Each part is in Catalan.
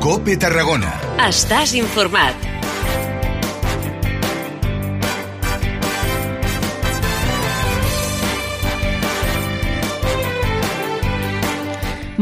COPE Tarragona. Estàs informat.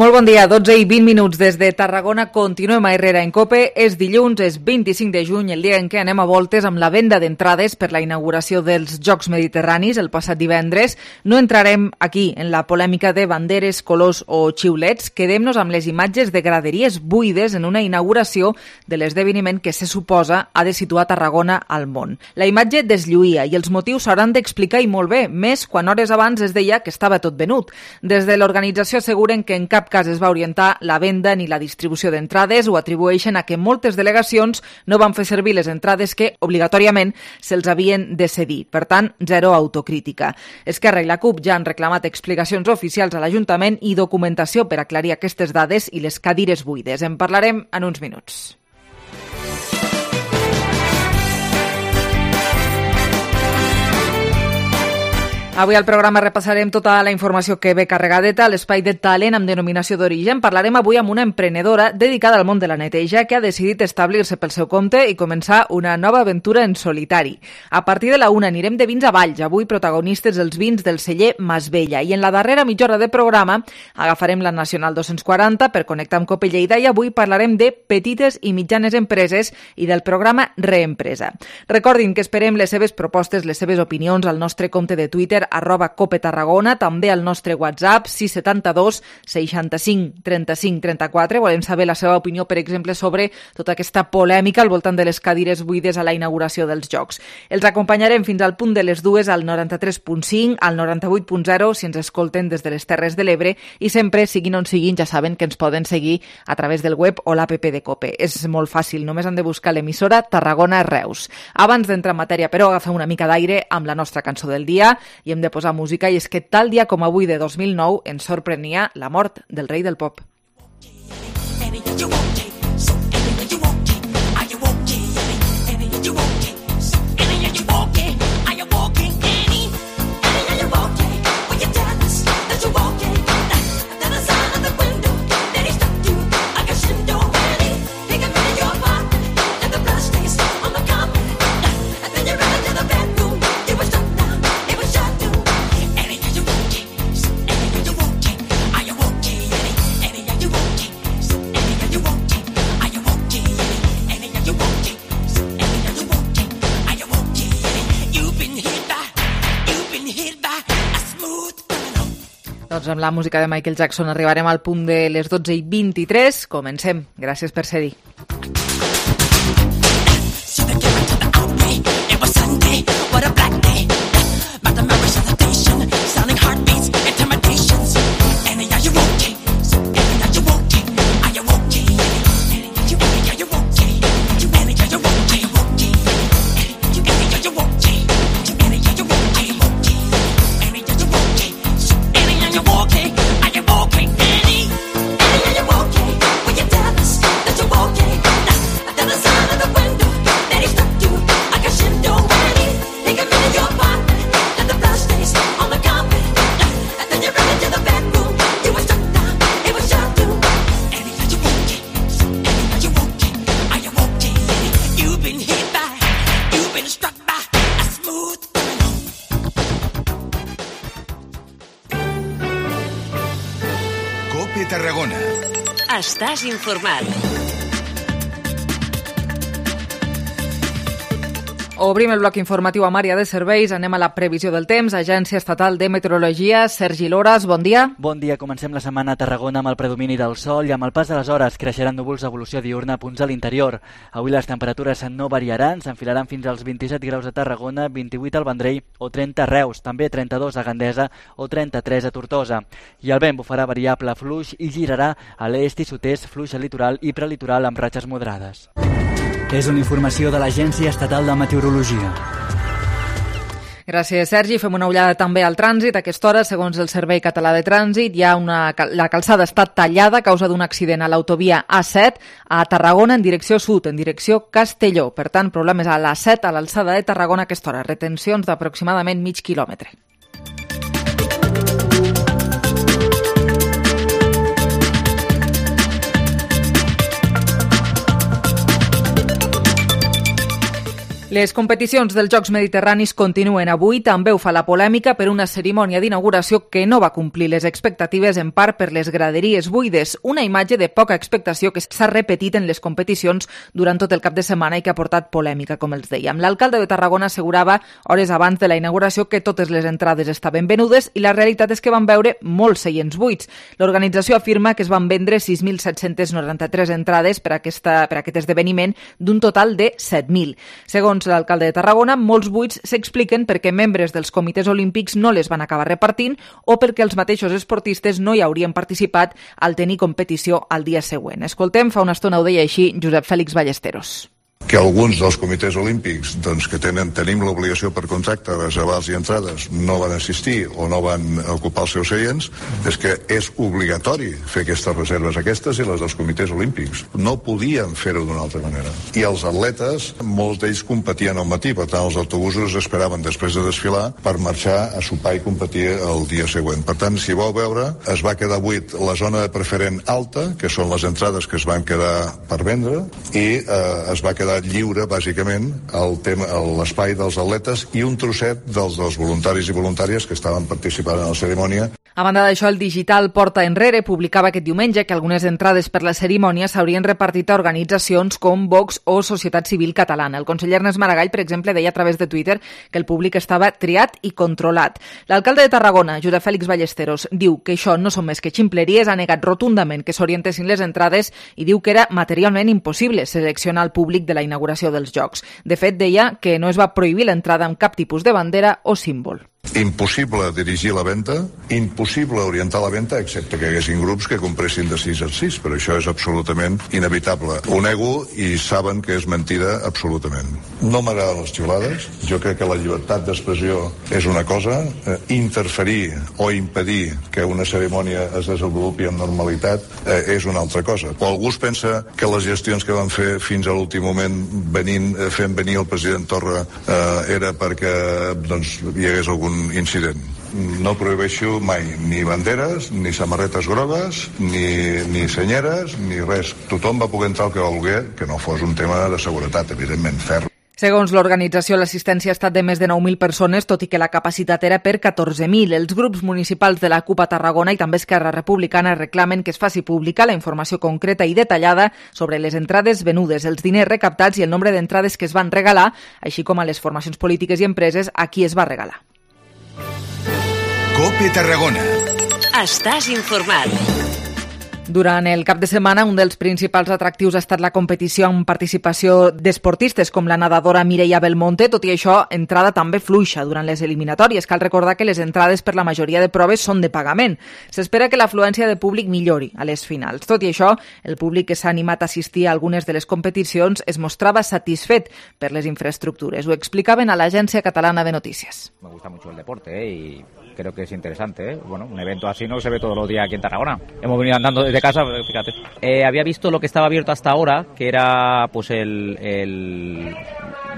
Molt bon dia, 12 i 20 minuts des de Tarragona. Continuem a Herrera en COPE. És dilluns, és 25 de juny, el dia en què anem a voltes amb la venda d'entrades per la inauguració dels Jocs Mediterranis el passat divendres. No entrarem aquí en la polèmica de banderes, colors o xiulets. Quedem-nos amb les imatges de graderies buides en una inauguració de l'esdeveniment que se suposa ha de situar Tarragona al món. La imatge deslluïa i els motius s'hauran d'explicar i molt bé, més quan hores abans es deia que estava tot venut. Des de l'organització asseguren que en cap cas es va orientar la venda ni la distribució d'entrades, o atribueixen a que moltes delegacions no van fer servir les entrades que obligatòriament se'ls havien de cedir. Per tant, zero autocrítica. Esquerra i la CUP ja han reclamat explicacions oficials a l'Ajuntament i documentació per aclarir aquestes dades i les cadires buides. En parlarem en uns minuts. Avui al programa repassarem tota la informació que ve carregadeta a l'espai de talent amb denominació d'origen. Parlarem avui amb una emprenedora dedicada al món de la neteja que ha decidit establir-se pel seu compte i començar una nova aventura en solitari. A partir de la 1 anirem de vins a Valls, avui protagonistes els vins del celler Masvella. I en la darrera mitja hora de programa agafarem la Nacional 240 per connectar amb COPE Lleida i avui parlarem de petites i mitjanes empreses i del programa Reempresa. Recordin que esperem les seves propostes, les seves opinions al nostre compte de Twitter @COPE Tarragona, també al nostre WhatsApp 672 65 35 34. Volem saber la seva opinió, per exemple, sobre tota aquesta polèmica al voltant de les cadires buides a la inauguració dels Jocs. Els acompanyarem fins al punt de les 2 al 93.5, al 98.0 si ens escolten des de les Terres de l'Ebre, i sempre, siguin on siguin, ja saben que ens poden seguir a través del web o l'app de COPE. És molt fàcil, només han de buscar l'emissora Tarragona Reus. Abans d'entrar en matèria, però, agafem una mica d'aire amb la nostra cançó del dia i hem de posar música, i és que tal dia com avui de 2009 ens sorprenia la mort del rei del pop. Doncs amb la música de Michael Jackson arribarem al punt de les 12 i 23. Comencem. Gràcies per ser-hi. COPE Tarragona. Estàs informat. Obrim el bloc informatiu amb àrea de serveis. Anem a la previsió del temps. Agència Estatal de Meteorologia. Sergi Loras, bon dia. Bon dia. Comencem la setmana a Tarragona amb el predomini del sol i amb el pas de les hores creixeran núvols d'evolució diurna a punts a l'interior. Avui les temperatures no variaran, s'enfilaran fins als 27 graus a Tarragona, 28 al Vendrell o 30 a Reus, també 32 a Gandesa o 33 a Tortosa. I el vent bufarà variable fluix i girarà a l'est i sud-est, fluix al litoral i prelitoral amb ratxes moderades. És una informació de l'Agència Estatal de Meteorologia. Gràcies, Sergi. Fem una ullada també al trànsit. A aquesta hora, segons el Servei Català de Trànsit, la calçada està tallada a causa d'un accident a l'autovia A7 a Tarragona en direcció sud, en direcció Castelló. Per tant, problemes a l'A7 a l'alçada de Tarragona a aquesta hora. Retencions d'aproximadament mig quilòmetre. Les competicions dels Jocs Mediterranis continuen avui. També ho fa la polèmica per una cerimònia d'inauguració que no va complir les expectatives, en part per les graderies buides. Una imatge de poca expectació que s'ha repetit en les competicions durant tot el cap de setmana i que ha portat polèmica, com els dèiem. L'alcalde de Tarragona assegurava hores abans de la inauguració que totes les entrades estaven venudes i la realitat és que van veure molts seients buits. L'organització afirma que es van vendre 6.793 entrades per aquest esdeveniment d'un total de 7.000. Segons l'alcalde de Tarragona, molts buits s'expliquen perquè membres dels comitès olímpics no les van acabar repartint o perquè els mateixos esportistes no hi haurien participat al tenir competició al dia següent. Escoltem, fa una estona ho deia així Josep Fèlix Ballesteros. Que alguns dels comitès olímpics que tenim l'obligació per contracte de reservar i entrades no van assistir o no van ocupar els seus seients, és que és obligatori fer aquestes reserves, aquestes i les dels comitès olímpics. No podien fer-ho d'una altra manera. I els atletes, molts d'ells competien al matí, per tant els autobusos esperaven després de desfilar per marxar a sopar i competir el dia següent. Per tant, si vau veure, es va quedar buit la zona de preferent alta, que són les entrades que es van quedar per vendre, i es va quedar lliure, bàsicament, l'espai dels atletes i un trosset dels voluntaris i voluntàries que estaven participant en la cerimònia. A banda d'això, el digital Porta Enrere publicava aquest diumenge que algunes entrades per la cerimònia s'haurien repartit a organitzacions com Vox o Societat Civil Catalana. El conseller Ernest Maragall, per exemple, deia a través de Twitter que el públic estava triat i controlat. L'alcalde de Tarragona, Josep Fèlix Ballesteros, diu que això no són més que ximpleries, ha negat rotundament que s'orientessin les entrades i diu que era materialment impossible seleccionar el públic de la inauguració dels Jocs. De fet, deia que no es va prohibir l'entrada amb cap tipus de bandera o símbol. Impossible dirigir la venda, impossible orientar la venda, excepte que hi haguessin grups que compressin de 6 a 6, però això és absolutament inevitable. Ho nego i saben que és mentida absolutament. No m'agraden les xiulades, jo crec que la llibertat d'expressió és una cosa, interferir o impedir que una cerimònia es desenvolupi amb normalitat és una altra cosa. O algú es pensa que les gestions que van fer fins a l'últim moment fent venir el president Torra era perquè hi hagués algun incident. No prohibeixo mai ni banderes, ni samarretes grogues, ni senyeres, ni res. Tothom va poder entrar el que volgué, que no fos un tema de seguretat, evidentment, ferm. Segons l'organització, l'assistència ha estat de més de 9.000 persones, tot i que la capacitat era per 14.000. Els grups municipals de la CUP a Tarragona i també Esquerra Republicana reclamen que es faci pública la informació concreta i detallada sobre les entrades venudes, els diners recaptats i el nombre d'entrades que es van regalar, així com a les formacions polítiques i empreses a qui es va regalar. COPE Tarragona. Estàs informat. Durant el cap de setmana, un dels principals atractius ha estat la competició amb participació d'esportistes com la nedadora Mireia Belmonte. Tot i això, entrada també fluixa durant les eliminatòries. Cal recordar que les entrades per la majoria de proves són de pagament. S'espera que l'afluència de públic millori a les finals. Tot i això, el públic que s'ha animat a assistir a algunes de les competicions es mostrava satisfet per les infraestructures. Ho explicaven a l'Agència Catalana de Notícies. Me gusta mucho el deporte y creo que es interesante, Bueno, un evento así no se ve todos los días aquí en Tarragona. Hemos venido andando desde casa, fíjate. Había visto lo que estaba abierto hasta ahora, que era pues lo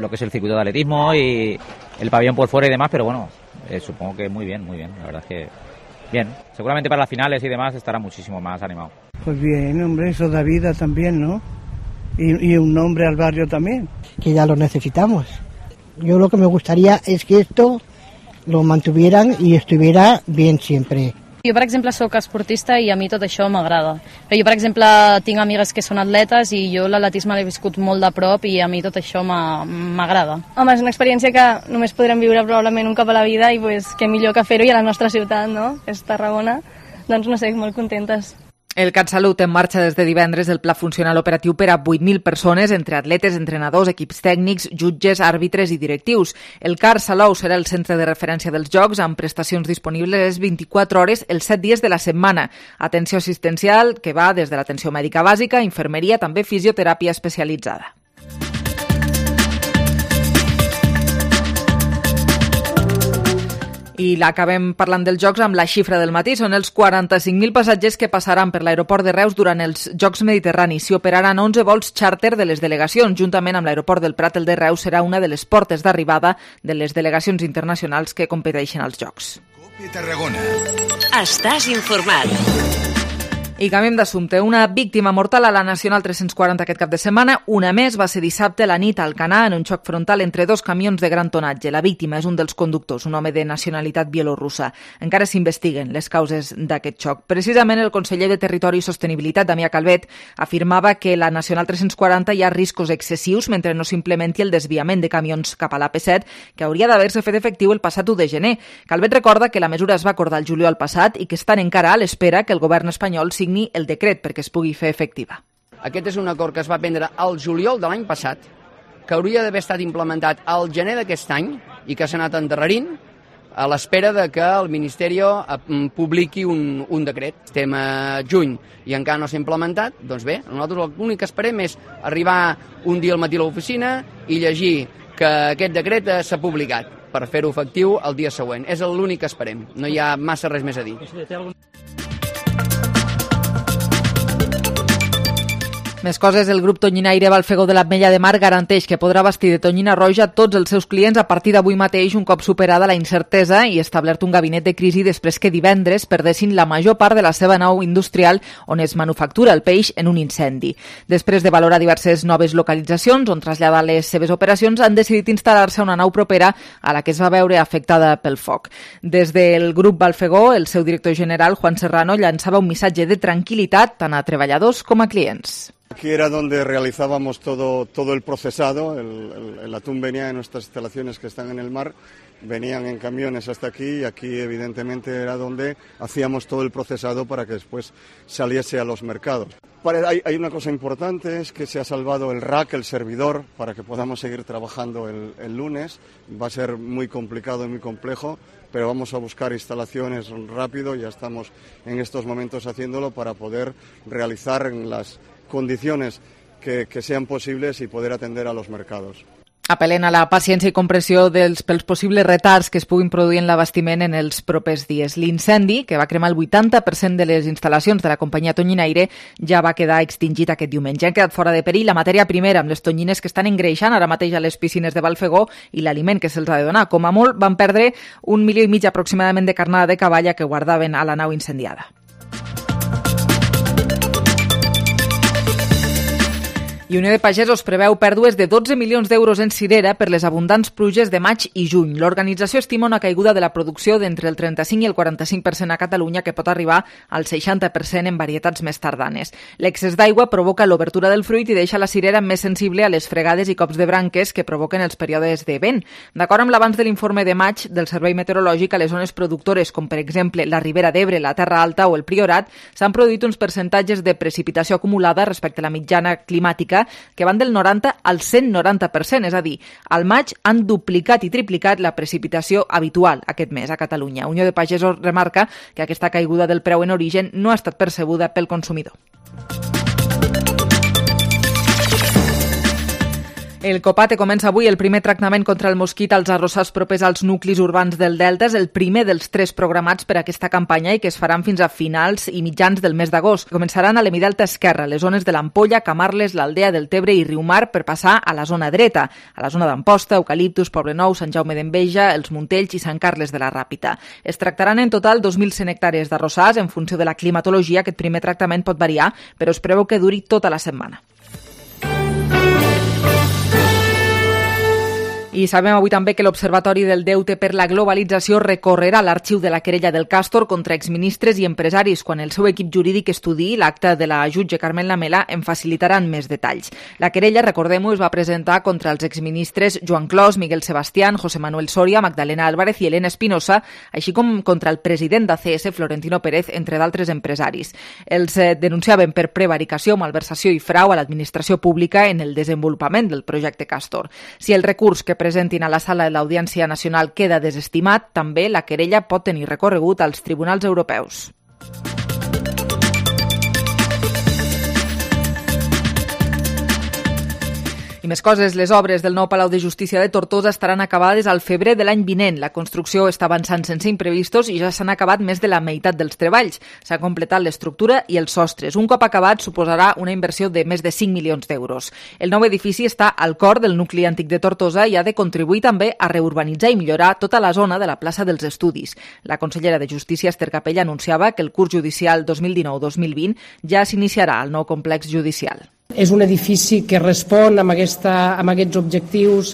que es el circuito de atletismo y el pabellón por fuera y demás, pero bueno, supongo que muy bien, la verdad es que bien. Seguramente para las finales y demás estará muchísimo más animado. Pues bien, hombre, eso da vida también, ¿no? Y un nombre al barrio también. Que ya lo necesitamos. Yo lo que me gustaría es que esto lo mantuvieran i estuviera bien sempre. Jo, per exemple, sóc esportista i a mi tot això m'agrada. Però jo, per exemple, tinc amigues que són atletes i jo l'atletisme l'he viscut molt de prop i a mi tot això m'agrada. Home, és una experiència que només podrem viure probablement un cop a la vida i pues, què millor que fer-ho i a la nostra ciutat, no? És Tarragona. Doncs no sé, molt contentes. El CatSalut en marxa des de divendres el pla funcional operatiu per a 8.000 persones, entre atletes, entrenadors, equips tècnics, jutges, àrbitres i directius. El CAR Salou serà el centre de referència dels Jocs, amb prestacions disponibles 24 hores els 7 dies de la setmana. Atenció assistencial que va des de l'atenció mèdica bàsica, infermeria, també fisioteràpia especialitzada. I l'acabem parlant dels Jocs amb la xifra del matí. Són els 45.000 passatgers que passaran per l'aeroport de Reus durant els Jocs Mediterranis. S'hi operaran 11 vols xàrter de les delegacions. Juntament amb l'aeroport del Prat, el de Reus serà una de les portes d'arribada de les delegacions internacionals que competeixen als Jocs. COPE Tarragona. Estàs informat. I canviem d'assumpte. Una víctima mortal a la Nacional 340 aquest cap de setmana. Una més va ser dissabte a la nit a Alcanar en un xoc frontal entre dos camions de gran tonatge. La víctima és un dels conductors, un home de nacionalitat bielorrussa. Encara s'investiguen les causes d'aquest xoc. Precisament el conseller de Territori i Sostenibilitat, Damià Calvet, afirmava que la Nacional 340 hi ha riscos excessius mentre no s'implementi el desviament de camions cap a l'AP7, que hauria d'haver-se fet efectiu el passat 1 de gener. Calvet recorda que la mesura es va acordar el juliol passat i que estan encara a l'espera que el govern espanyol signi el decret perquè es pugui fer efectiva. Aquest és un acord que es va prendre al juliol de l'any passat, que hauria d'haver estat implementat al gener d'aquest any i que s'ha anat endarrerint a l'espera de que el Ministeri publiqui un decret. Estem a juny i encara no s'ha implementat, doncs bé, nosaltres l'únic que esperem és arribar un dia al matí a l'oficina i llegir que aquest decret s'ha publicat per fer-ho efectiu el dia següent. És l'únic que esperem, no hi ha massa res més a dir. Més coses, el grup Tonyinaire Balfegó de l'Ametlla de Mar garanteix que podrà bastir de tonyina roja tots els seus clients a partir d'avui mateix, un cop superada la incertesa i establert un gabinet de crisi després que divendres perdessin la major part de la seva nau industrial on es manufactura el peix en un incendi. Després de valorar diverses noves localitzacions on traslladar les seves operacions, han decidit instal·lar-se a una nau propera a la que es va veure afectada pel foc. Des del grup Balfegó, el seu director general, Juan Serrano, llançava un missatge de tranquil·litat tant a treballadors com a clients. Aquí era donde realizábamos todo el procesado, el atún venía de nuestras instalaciones que están en el mar, venían en camiones hasta aquí y aquí evidentemente era donde hacíamos todo el procesado para que después saliese a los mercados. Hay una cosa importante, es que se ha salvado el rack, el servidor, para que podamos seguir trabajando el lunes. Va a ser muy complicado y muy complejo, pero vamos a buscar instalaciones rápido, ya estamos en estos momentos haciéndolo para poder realizar en las condiciones que sean posibles y poder atender a los mercados. Apel·len a la paciència i compressió pels possibles retards que es puguin produir en l'abastiment en els propers dies. L'incendi, que va cremar el 80% de les instal·lacions de la companyia Tonyinaire, ja va quedar extingit aquest diumenge. Han quedat fora de perill la matèria primera amb les tonyines que estan engreixant ara mateix a les piscines de Balfegó i l'aliment que se'ls ha de donar. Com a molt van perdre 1,5 milió aproximadament de carnada de cavalla que guardaven a la nau incendiada. I Unió de Pagesos preveu pèrdues de 12 milions d'euros en cirera per les abundants pluges de maig i juny. L'organització estima una caiguda de la producció d'entre el 35 i el 45% a Catalunya, que pot arribar al 60% en varietats més tardanes. L'excés d'aigua provoca l'obertura del fruit i deixa la cirera més sensible a les fregades i cops de branques que provoquen els períodes de vent. D'acord amb l'avanç de l'informe de maig del Servei Meteorològic, a les zones productores, com per exemple la Ribera d'Ebre, la Terra Alta o el Priorat, s'han produït uns percentatges de precipitació acumulada respecte a la mitjana climàtica que van del 90 al 190%, és a dir, al maig han duplicat i triplicat la precipitació habitual aquest mes a Catalunya. Unió de Pagesos remarca que aquesta caiguda del preu en origen no ha estat percebuda pel consumidor. El Copate comença avui el primer tractament contra el mosquit als arrossars propers als nuclis urbans del Delta. És el primer dels 3 programats per a aquesta campanya i que es faran fins a finals i mitjans del mes d'agost. Començaran a l'Hemidelta esquerra, les zones de l'Ampolla, Camarles, l'Aldea del Tebre i Riumar per passar a la zona dreta, a la zona d'Amposta, Eucaliptus, Poblenou, Sant Jaume d'Enveja, els Montells i Sant Carles de la Ràpita. Es tractaran en total 2.100 hectàrees d'arrossars. En funció de la climatologia, aquest primer tractament pot variar, però es preveu que duri tota la setmana. I sabem avui també que l'Observatori del Deute per la Globalització recorrerà l'arxiu de la querella del Càstor contra exministres i empresaris. Quan el seu equip jurídic estudiï l'acte de la jutge Carmen Lamela en facilitaran més detalls. La querella, recordem-ho, es va presentar contra els exministres Joan Clos, Miguel Sebastián, José Manuel Soria, Magdalena Álvarez i Elena Espinosa, així com contra el president d'ACS, Florentino Pérez, entre d'altres empresaris. Els denunciaven per prevaricació, malversació i frau a l'administració pública en el desenvolupament del projecte Càstor. Si el recurs que presentin a la sala de l'Audiència Nacional queda desestimat, també la querella pot tenir recorregut als tribunals europeus. I més coses, les obres del nou Palau de Justícia de Tortosa estaran acabades al febrer de l'any vinent. La construcció està avançant sense imprevistos i ja s'han acabat més de la meitat dels treballs. S'ha completat l'estructura i els sostres. Un cop acabat suposarà una inversió de més de 5 milions d'euros. El nou edifici està al cor del nucli antic de Tortosa i ha de contribuir també a reurbanitzar i millorar tota la zona de la plaça dels Estudis. La consellera de Justícia, Esther Capella, anunciava que el curs judicial 2019-2020 ja s'iniciarà al nou complex judicial. És un edifici que respon amb aquests objectius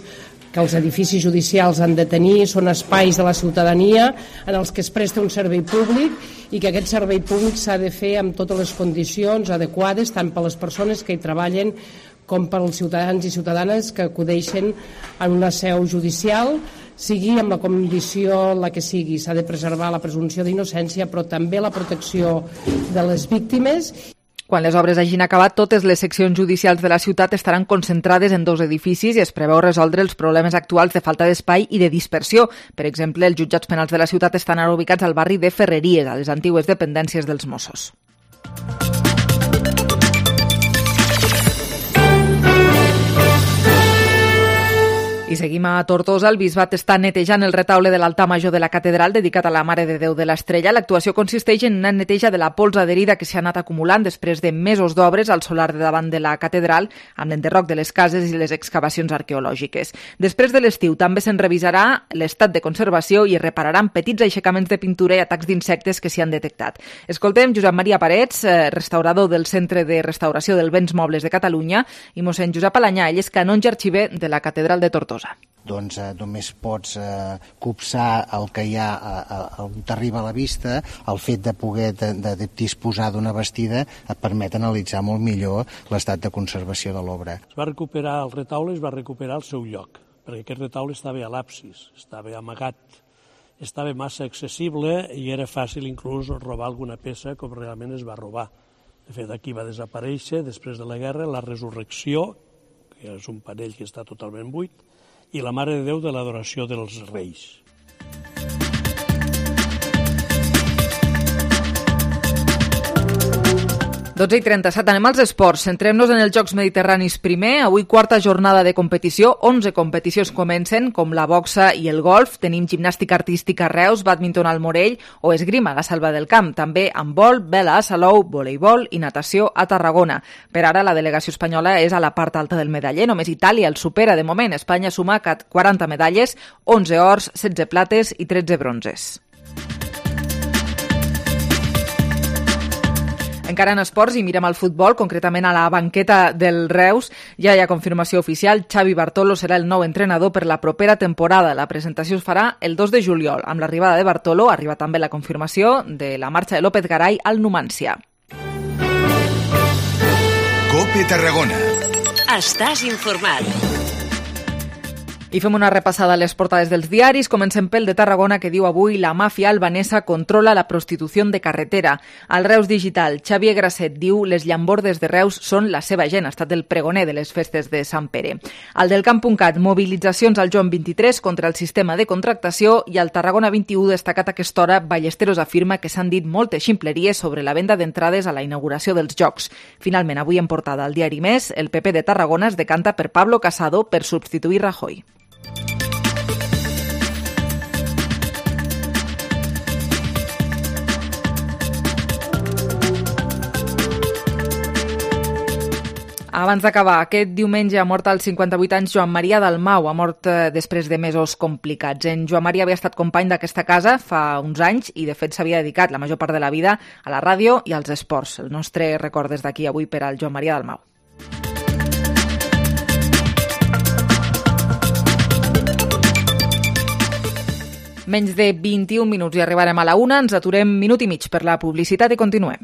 que els edificis judicials han de tenir, són espais de la ciutadania en els que es presta un servei públic i que aquest servei públic s'ha de fer amb totes les condicions adequades, tant per les persones que hi treballen com per als ciutadans i ciutadanes que acudeixen en una seu judicial, sigui amb la condició la que sigui. S'ha de preservar la presumpció d'innocència, però també la protecció de les víctimes. Quan les obres hagin acabat, totes les seccions judicials de la ciutat estaran concentrades en 2 edificis i es preveu resoldre els problemes actuals de falta d'espai i de dispersió. Per exemple, els jutjats penals de la ciutat estan ara ubicats al barri de Ferreries, a les antigues dependències dels Mossos. I seguim a Tortosa. El bisbat està netejant el retaule de l'altar major de la catedral dedicat a la Mare de Déu de l'Estrella. L'actuació consisteix en una neteja de la pols adherida que s'ha anat acumulant després de mesos d'obres al solar de davant de la catedral, amb l'enderroc de les cases i les excavacions arqueològiques. Després de l'estiu també se'n revisarà l'estat de conservació i es repararan petits aixecaments de pintura i atacs d'insectes que s'hi han detectat. Escoltem Josep Maria Parets, restaurador del Centre de Restauració dels Béns Mobles de Catalunya, i mossèn Josep Alanyà, ell és canonge arxiver de la catedral de Tortosa. Doncs només pots copsar el que hi ha on t'arriba a la vista. El fet de poder de disposar d'una bastida et permet analitzar molt millor l'estat de conservació de l'obra. Es va recuperar el retaule, es va recuperar el seu lloc, perquè aquest retaule estava a l'absis, estava amagat, estava massa accessible i era fàcil inclús robar alguna peça com realment es va robar. De fet, aquí va desaparèixer després de la guerra la resurrecció, que és un panell que està totalment buit, i la Mare de Déu de l'Adoració dels Reis. 12:37, anem als esports. Centrem-nos en els Jocs Mediterranis primer. Avui quarta jornada de competició. 11 competicions comencen, com la boxa i el golf. Tenim gimnàstica artística a Reus, bàdminton al Morell o esgrima a la Selva del Camp. També handbol, vela a Salou, voleibol i natació a Tarragona. Per ara, la delegació espanyola és a la part alta del medaller. Només Itàlia el supera de moment. Espanya suma 40 medalles, 11 ors, 16 plates i 13 bronzes. Encara en esports i mirem al futbol, concretament a la banqueta del Reus. Ja hi ha confirmació oficial. Xavi Bartolo serà el nou entrenador per la propera temporada. La presentació es farà el 2 de juliol. Amb l'arribada de Bartolo arriba també la confirmació de la marxa de López Garay al Numancia. COPE Tarragona. Estàs informat. I fem una repassada a les portades dels diaris. Comencem pel de Tarragona, que diu avui la màfia albanesa controla la prostitució de carretera. Al Reus Digital, Xavier Grasset diu les llambordes de Reus són la seva gent. Ha estat el pregoner de les festes de Sant Pere. Al del Camp.cat, mobilitzacions al Joan 23 contra el sistema de contractació, i al Tarragona 21 destacat a aquesta hora, Ballesteros afirma que s'han dit moltes ximpleries sobre la venda d'entrades a la inauguració dels Jocs. Finalment, avui en portada al diari Més, el PP de Tarragona es decanta per Pablo Casado per substituir Rajoy. Abans d'acabar, aquest diumenge ha mort als 58 anys Joan Maria Dalmau. Ha mort després de mesos complicats. En Joan Maria havia estat company d'aquesta casa fa uns anys i, de fet, s'havia dedicat la major part de la vida a la ràdio i als esports. El nostre record des d'aquí avui per al Joan Maria Dalmau. Menys de 21 minuts i arribarem a la 1. Ens aturem minut i mig per la publicitat i continuem.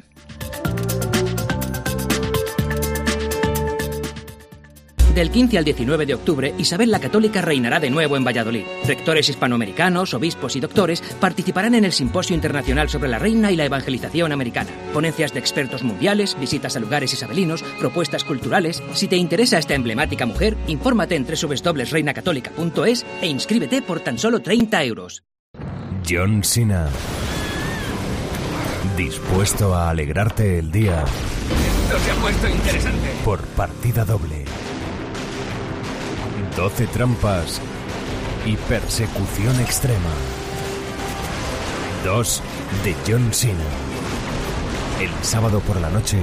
Del 15 al 19 de octubre, Isabel la Católica reinará de nuevo en Valladolid. Rectores hispanoamericanos, obispos y doctores participarán en el Simposio Internacional sobre la Reina y la Evangelización Americana. Ponencias de expertos mundiales, visitas a lugares isabelinos, propuestas culturales. Si te interesa esta emblemática mujer, infórmate en www.reinacatólica.es e inscríbete por tan solo 30 euros. John Cena. Dispuesto a alegrarte el día. Esto se ha puesto interesante. Por partida doble. 12 trampas y persecución extrema. 2 de John Cena. El sábado por la noche,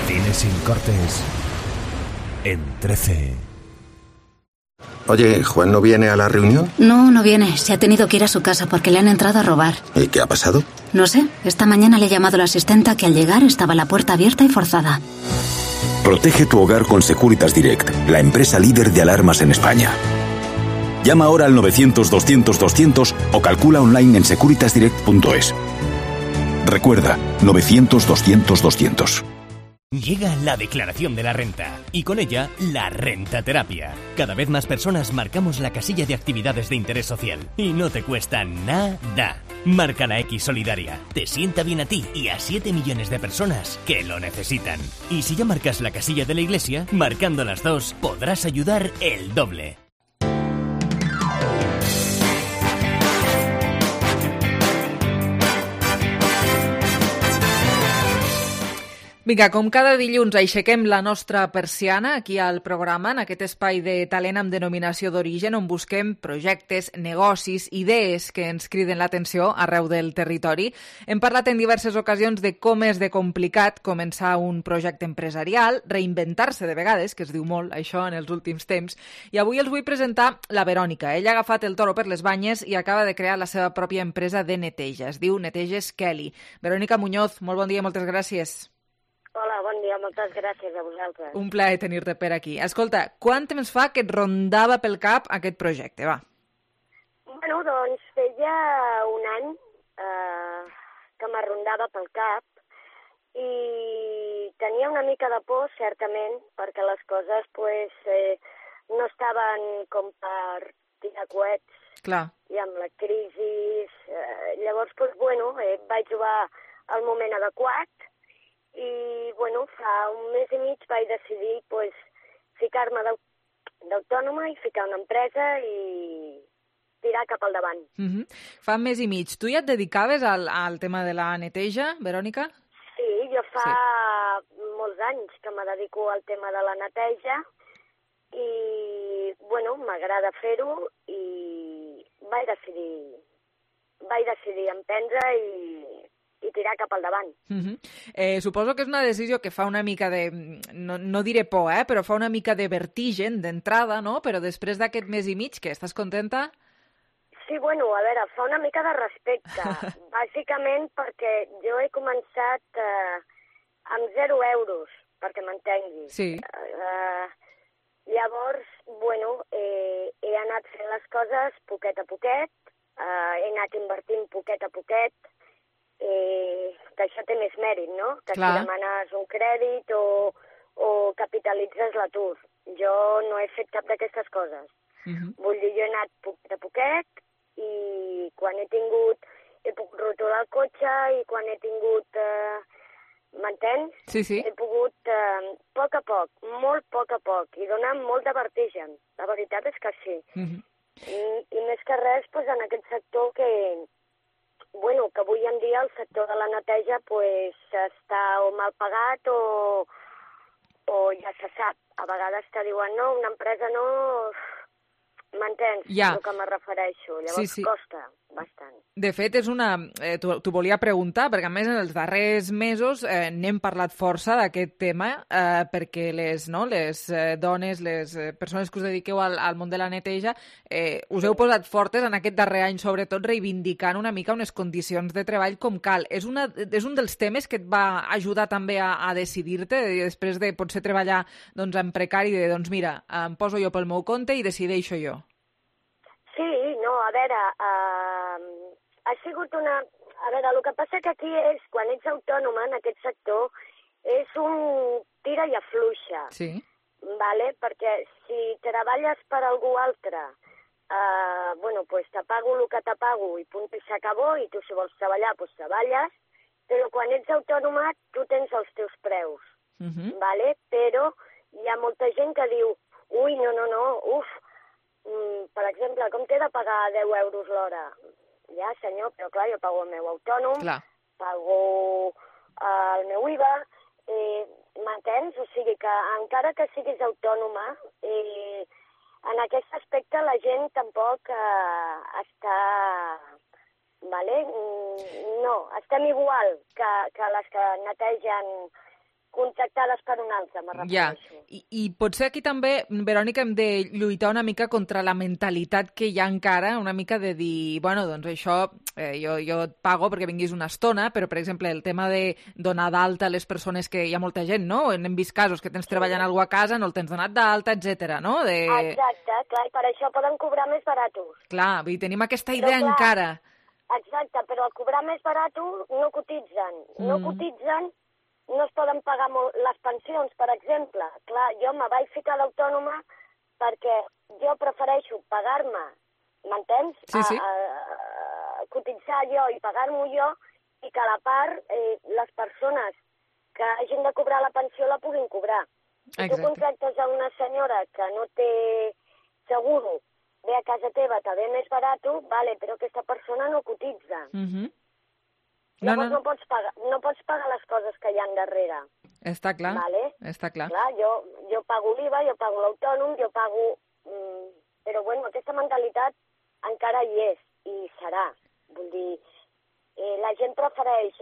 cine sin cortes en 13. Oye, ¿Juan no viene a la reunión? No viene. Se ha tenido que ir a su casa porque le han entrado a robar. ¿Y qué ha pasado? No sé. Esta mañana le he llamado a la asistenta que al llegar estaba la puerta abierta y forzada. Protege tu hogar con Securitas Direct, la empresa líder de alarmas en España. Llama ahora al 900-200-200 o calcula online en securitasdirect.es. Recuerda, 900-200-200. Llega la declaración de la renta y con ella la rentaterapia. Cada vez más personas marcamos la casilla de actividades de interés social y no te cuesta nada. Marca la X solidaria. Te sienta bien a ti y a 7 millones de personas que lo necesitan. Y si ya marcas la casilla de la iglesia, marcando las dos podrás ayudar el doble. Vinga, com cada dilluns aixequem la nostra persiana aquí al programa, en aquest espai de talent amb denominació d'origen, on busquem projectes, negocis, idees que ens criden l'atenció arreu del territori. Hem parlat en diverses ocasions de com és de complicat començar un projecte empresarial, reinventar-se de vegades, que es diu molt això en els últims temps, i avui els vull presentar la Verònica. Ella ha agafat el toro per les banyes i acaba de crear la seva pròpia empresa de neteja. Es diu Neteges Kelly. Verònica Muñoz, molt bon dia i moltes gràcies. Hola, bon dia, moltes gràcies a vosaltres. Un plaer tenir-te per aquí. Escolta, quant temps fa que et rondava pel cap aquest projecte, va? Bueno, doncs feia un any que m'arrondava pel cap i tenia una mica de por, certament, perquè les coses no estaven com per tirar coets. Clar. I amb la crisi... Llavors, vaig trobar el moment adequat i, fa un mes i mig vaig decidir ficar-me d'autònoma i ficar una empresa i tirar cap al davant. Fa un mes i mig. Tu ja et dedicaves al tema de la neteja, Verònica? Sí, jo fa molts anys que me dedico al tema de la neteja i, m'agrada fer-ho i vaig decidir emprendre i tirar cap al davant. Suposo que és una decisió que fa una mica de, no diré por, però fa una mica de vertigen d'entrada, no? Però després d'aquest mes i mig, què, estàs contenta? Sí, a veure, fa una mica de respecte. Bàsicament perquè jo he començat amb 0 euros, perquè m'entenguis. Sí. Llavors, he anat fent les coses poquet a poquet, he anat invertint poquet a poquet, que això té més mèrit, no? Que si demanes un crèdit o capitalitzes l'atur. Jo no he fet cap d'aquestes coses. Vull dir, jo he anat poquet a poquet i quan he pogut rotular el cotxe i quan he tingut, m'entens? Sí. He pogut, a poc, molt a poc, i donar molt de vertigen. La veritat és que sí. I més que res, en aquest sector que avui en dia el sector de la neteja està o mal pagat o ja se sap. A vegades te diuen, no, una empresa no... M'entens? Ja. El que me refereixo. Llavors costa bastant. De fet, és una... T'ho volia preguntar, perquè a més en els darrers mesos n'hem parlat força d'aquest tema, perquè les dones, les persones que us dediqueu al món de la neteja, us heu posat fortes en aquest darrer any, sobretot reivindicant una mica unes condicions de treball com cal. És un dels temes que et va ajudar també a decidir-te, després de potser treballar en precari, mira, em poso jo pel meu compte i decideixo jo. Sí, no, a veure, ha sigut una... A veure, el que passa que aquí és, quan ets autònoma en aquest sector, és un tira i afluixa. Sí. Vale? Perquè si treballes per algú altre, te pago el que te pago i punt i s'acabó, i tu si vols treballar, treballes, però quan ets autònoma tu tens els teus preus. Vale? Però hi ha molta gent que diu, ui, no, per exemple, com t'he de pagar 10 euros l'hora? Ja, senyor, però clar, jo pago el meu autònom, pago el meu IVA, m'entens? O sigui que encara que siguis autònoma, en aquest aspecte la gent tampoc està... Vale? No, estem igual que les que netegen contractades per un altre, me refereixo. I potser aquí també, Verònica, hem de lluitar una mica contra la mentalitat que hi ha encara, una mica de dir, bueno, doncs això jo et pago perquè vinguis una estona, però, per exemple, el tema de donar d'alta a les persones que hi ha molta gent, no? Hem vist casos que tens treballant algú a casa, no el tens donat d'alta, etc. no? Exacte, clar, i per això poden cobrar més baratos. Clar, i tenim aquesta idea encara. Exacte, però al cobrar més baratos no cotitzen. No cotitzen, no es poden pagar les pensions, per exemple. Clar, jo me vaig ficar l'autònoma perquè jo prefereixo pagar-me, m'entens? Sí. Cotitzar jo i pagar-m'ho jo i que a la part les persones que hagin de cobrar la pensió la puguin cobrar. Si tu contractes a una senyora que no té seguro, ve a casa teva, te ve més barato, vale, però aquesta persona no cotitza. Llavors no pots pagar les coses que hi ha darrere. Està clar, vale? Està clar. Clar, jo pago l'IVA, jo pago l'autònom, jo pago... Però, bueno, aquesta mentalitat encara hi és i serà. Vull dir, la gent prefereix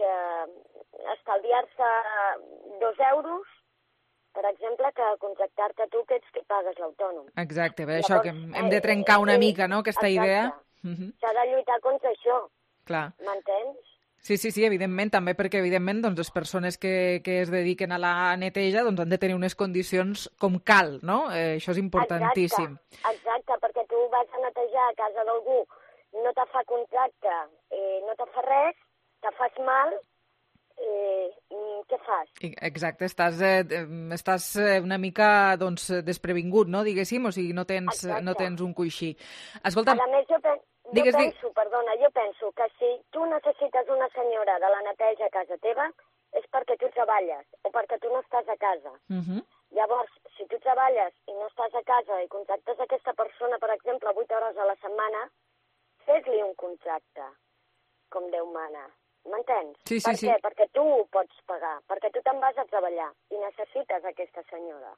estalviar-se 2 euros, per exemple, que contractar-te tu, que ets qui pagues l'autònom. Exacte, per això que hem de trencar una mica, no?, aquesta idea. S'ha de lluitar contra això. Clar. M'entens? Sí, evidentment, també perquè, evidentment, doncs, les persones que es dediquen a la neteja doncs, han de tenir unes condicions com cal, no? Això és importantíssim. Exacte, perquè tu vas a netejar a casa d'algú, no te fa contracte, no te fa res, te fas mal, què fas? Exacte, estàs una mica doncs, desprevingut, no, diguéssim, o sigui, no tens un coixí. Escolta... A més, jo penso que si tu necessites una senyora de la neteja a casa teva és perquè tu treballes o perquè tu no estàs a casa. Llavors, si tu treballes i no estàs a casa i contractes aquesta persona, per exemple, 8 hores a la setmana, fes-li un contracte, com Déu mana. M'entens? Sí. Què? Perquè tu ho pots pagar, perquè tu te'n vas a treballar i necessites aquesta senyora.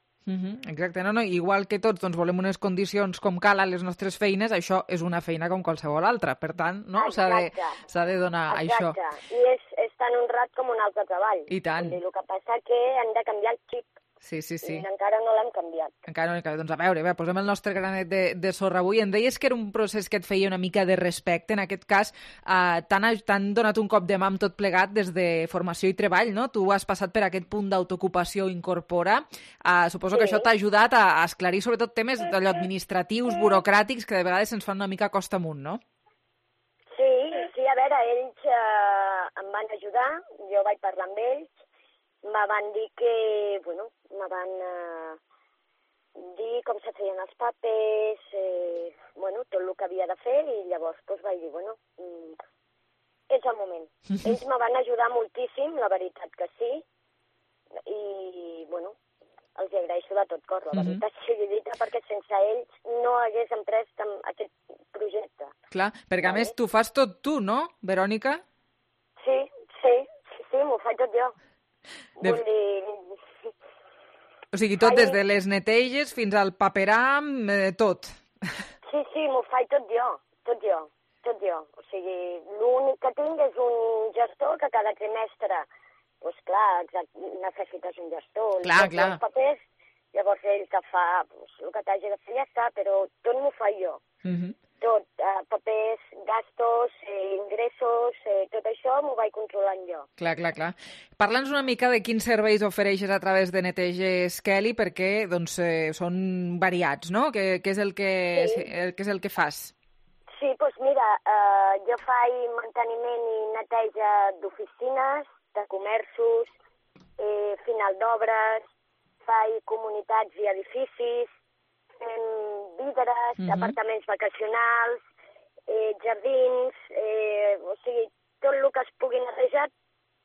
Exacte, no, igual que tots doncs, volem unes condicions com cal a les nostres feines, això és una feina com qualsevol altra, per tant, no? S'ha de donar això. Exacte, i és tan honrat com un altre treball. I tant. El que passa que hem de canviar el xip. Sí. I encara no l'hem canviat. Encara no l'hem canviat. Doncs a veure, posem el nostre granet de sorra avui. Em deies que era un procés que et feia una mica de respecte. En aquest cas, t'han donat un cop de mà amb tot plegat des de formació i treball, no? Tu has passat per aquest punt d'autoocupació Incorpora. Suposo que això t'ha ajudat a esclarir sobretot temes administratius, burocràtics, que de vegades se'ns fan una mica costa amunt, no? Sí, a veure, ells em van ajudar, jo vaig parlar amb ells, me van dir que, bueno, me van dir com se feien els papers, bueno, tot el que havia de fer, i llavors doncs, vaig dir, bueno, és el moment. Ells me van ajudar moltíssim, la veritat que sí, i, bueno, els agraeixo de tot cor, la veritat sigui dita, perquè sense ells no hagués emprès aquest projecte. Clar, perquè a més tu fas tot tu, no, Verònica? Sí, m'ho faig tot jo. Vull dir... O sigui, tot des de les neteges fins al paperam, tot. Sí, m'ho faig tot jo. O sigui, l'únic que tinc és un gestor que cada trimestre, doncs clar, necessites un gestor. Clar. Els papers, llavors ell que fa el que t'hagi de fer ja està, però tot m'ho faig jo. Tot, papers, gastos, ingressos, tot això m'ho vaig controlant jo. Clar. Parla'ns una mica de quins serveis ofereixes a través de Neteges Kelly, perquè doncs, són variats, no? Què és el que fas? Sí, doncs mira, jo faig manteniment i neteja d'oficines, de comerços, final d'obres, faig comunitats i edificis, fem vidres, apartaments vacacionals, jardins, o sigui, tot el que es pugui netejar,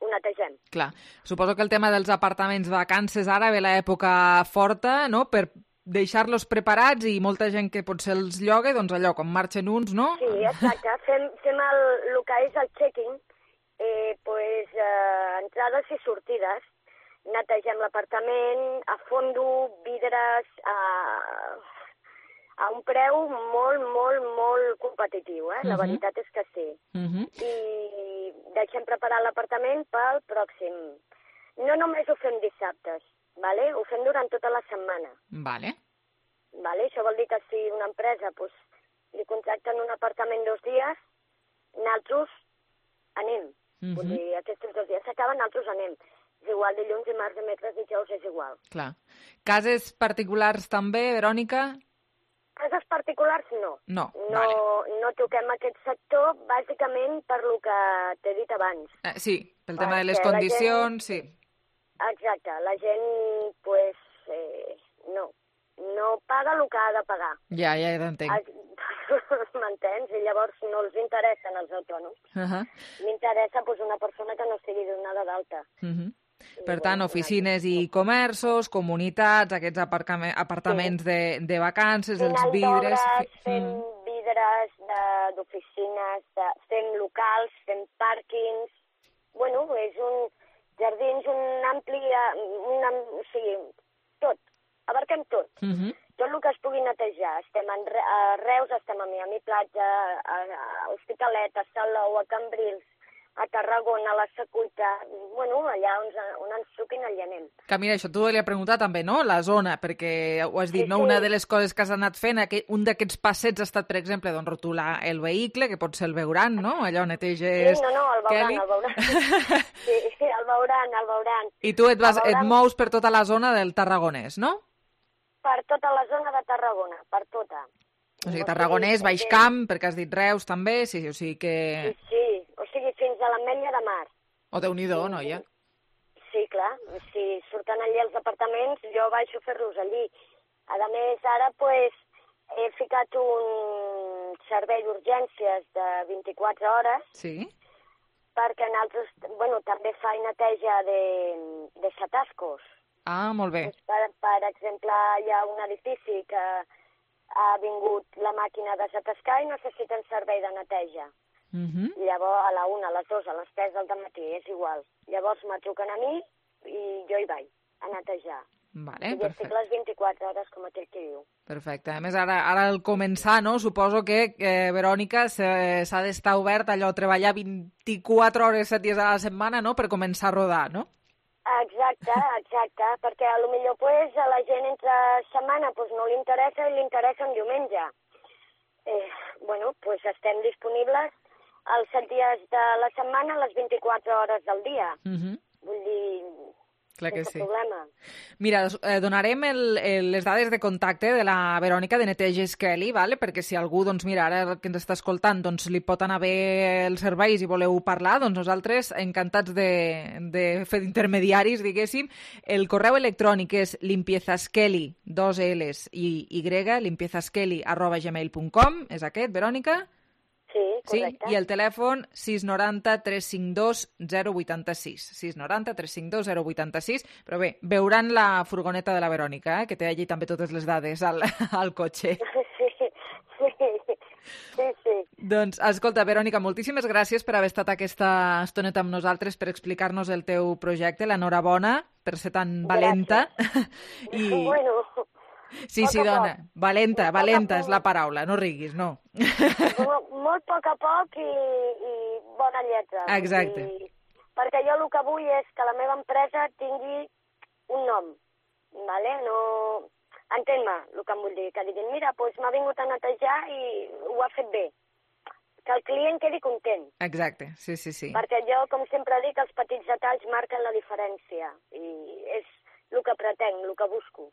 ho netegem. Clar, suposo que el tema dels apartaments vacances ara ve l'època forta, no?, per deixar-los preparats i molta gent que potser els lloga, doncs allò, quan marxen uns, no? Sí, exacte, fem el que és el check-in, entrades i sortides, netegem l'apartament, a fondo, vidres, a un preu molt competitiu, la veritat és que sí. I deixem preparar l'apartament pel pròxim. No només ho fem dissabtes, vale? Ho fem durant tota la setmana. Vale. Això vol dir que si una empresa li contracten un apartament 2 dies, nosaltres anem. Vull dir, aquests 2 dies s'acaben, nosaltres anem. És igual, dilluns, dimarts, dimecres, dijous, és igual. Clar. Cases particulars també, Verònica? Cases particulars no. No toquem aquest sector, bàsicament per lo que t'he dit abans. Sí, pel tema de les condicions, sí. Exacte, la gent, no paga el que ha de pagar. Ja t'entenc. M'entens? I llavors no els interessen els autònoms. M'interessa una persona que no estigui donada d'alta. Per tant, oficines i comerços, comunitats, aquests apartaments de vacances, els vidres... Fem vidres d'oficines, fem locals, fem pàrquings... És un jardins, un ampli... O sigui, tot. Abarquem tot. Tot el que es pugui netejar. Estem a Reus, estem a Miami Platja, a Hospitalet, a Salou, a Cambrils, a Tarragona, a la Secuita, allà on ens truquin, allà anem. Que mira, això t'ho volia preguntar també, no? La zona, perquè ho has dit, no? Una de les coses que has anat fent, un d'aquests passets ha estat, per exemple, rotular el vehicle, que pot ser el veuran, no? Allò neteges... Sí, el veuran. Sí, el veuran. I tu et mous per tota la zona del Tarragonès, no? Per tota la zona de Tarragona, per tota. O sigui, Tarragonès, Baix Camp, perquè has dit Reus també, sí, o sigui que... Sí, o sigui, fins a l'Ametlla de Mar. O Déu-n'hi-do, noia. Sí, clar, si surten allí els apartaments, jo baixo a fer-los allí. A més, ara, he ficat un servei d'urgències de 24 hores. Sí. Perquè nosaltres, també fa neteja de xatascos. Ah, molt bé. Per exemple, hi ha un edifici que ha vingut la màquina de xatascar i necessiten servei de neteja. Llavors, a la 1, a les 2, a les 3 del matí, és igual. Llavors me truquen a mi i jo hi vaig a netejar. Vale, I estic les 24 hores, com aquell que diu. Perfecte. A més, ara al començar, no? Suposo que, Verònica, s'ha d'estar obert allò, treballar 24 hores, 7 dies a la setmana, no?, per començar a rodar, no? Exacte, perquè a lo millor a la gent entre setmana no li interessa i li interessa un diumenge. Estem disponibles els 7 dies de la setmana, les 24 hores del dia. Vull dir, clar que sí. Problema. Mira, donarem les dades de contacte de la Verònica de Neteges Kelly, vale? Perquè si algú, ara que ens està escoltant, li pot anar bé els serveis i voleu parlar, nosaltres encantats de fer d'intermediaris, diguéssim. El correu electrònic és limpiezaskelly, 2 L's i Y, limpiezaskelly@gmail.com, és aquest, Verònica? Sí, correcte. Sí? I el telèfon 690 352 086. 690 352 086. Però bé, veuran la furgoneta de la Verònica, que té allí també totes les dades al cotxe. Sí. Doncs, escolta, Verònica, moltíssimes gràcies per haver estat aquesta estoneta amb nosaltres, per explicar-nos el teu projecte. L'enhorabona per ser tan valenta. Sí, dona, valenta és la paraula, no riguis, no. Molt a poc i bona lletra. Exacte. Perquè jo el que vull és que la meva empresa tingui un nom, ¿vale? No... Entén-me el que em vull dir, que diguin, mira, m'ha vingut a netejar i ho ha fet bé. Que el client quedi content. Exacte, sí. Perquè jo, com sempre dic, els petits detalls marquen la diferència i és el que pretenc, el que busco.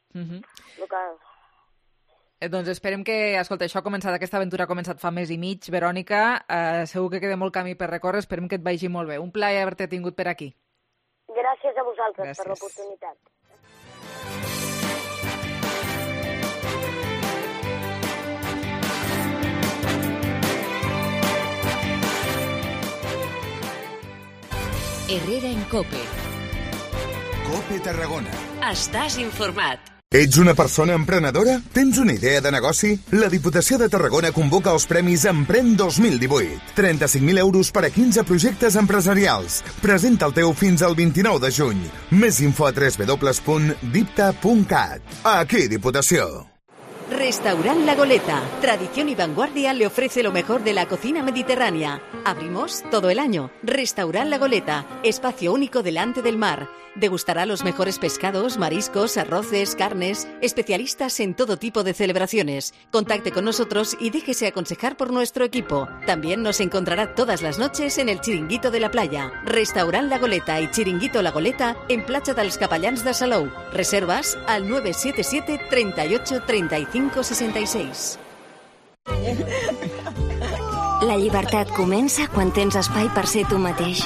Doncs esperem que, escolta, aquesta aventura ha començat fa mes i mig, Verònica, segur que queda molt camí per recórrer, esperem que et vagi molt bé. Un plaer haver-te tingut per aquí. Gràcies a vosaltres per l'oportunitat. Herrera en COPE. COPE Tarragona. Estàs informat. Ets una persona emprenedora? Tens una idea de negoci? La Diputació de Tarragona convoca els Premis Emprèn 2018. 35.000 euros per a 15 projectes empresarials. Presenta el teu fins al 29 de juny. Més info a www.dipta.cat. Aquí, Diputació. Restaurant La Goleta. Tradición y vanguardia le ofrece lo mejor de la cocina mediterránea. Abrimos todo el año. Restaurant La Goleta. Espacio único delante del mar. Degustará los mejores pescados, mariscos, arroces, carnes. Especialistas en todo tipo de celebraciones. Contacte con nosotros y déjese aconsejar por nuestro equipo. También nos encontrará todas las noches en el Chiringuito de la Playa. Restaurant La Goleta y Chiringuito La Goleta en Platja dels Capellans de Salou. Reservas al 977 38 35 66. La llibertat comença quan tens espai per ser tu mateix.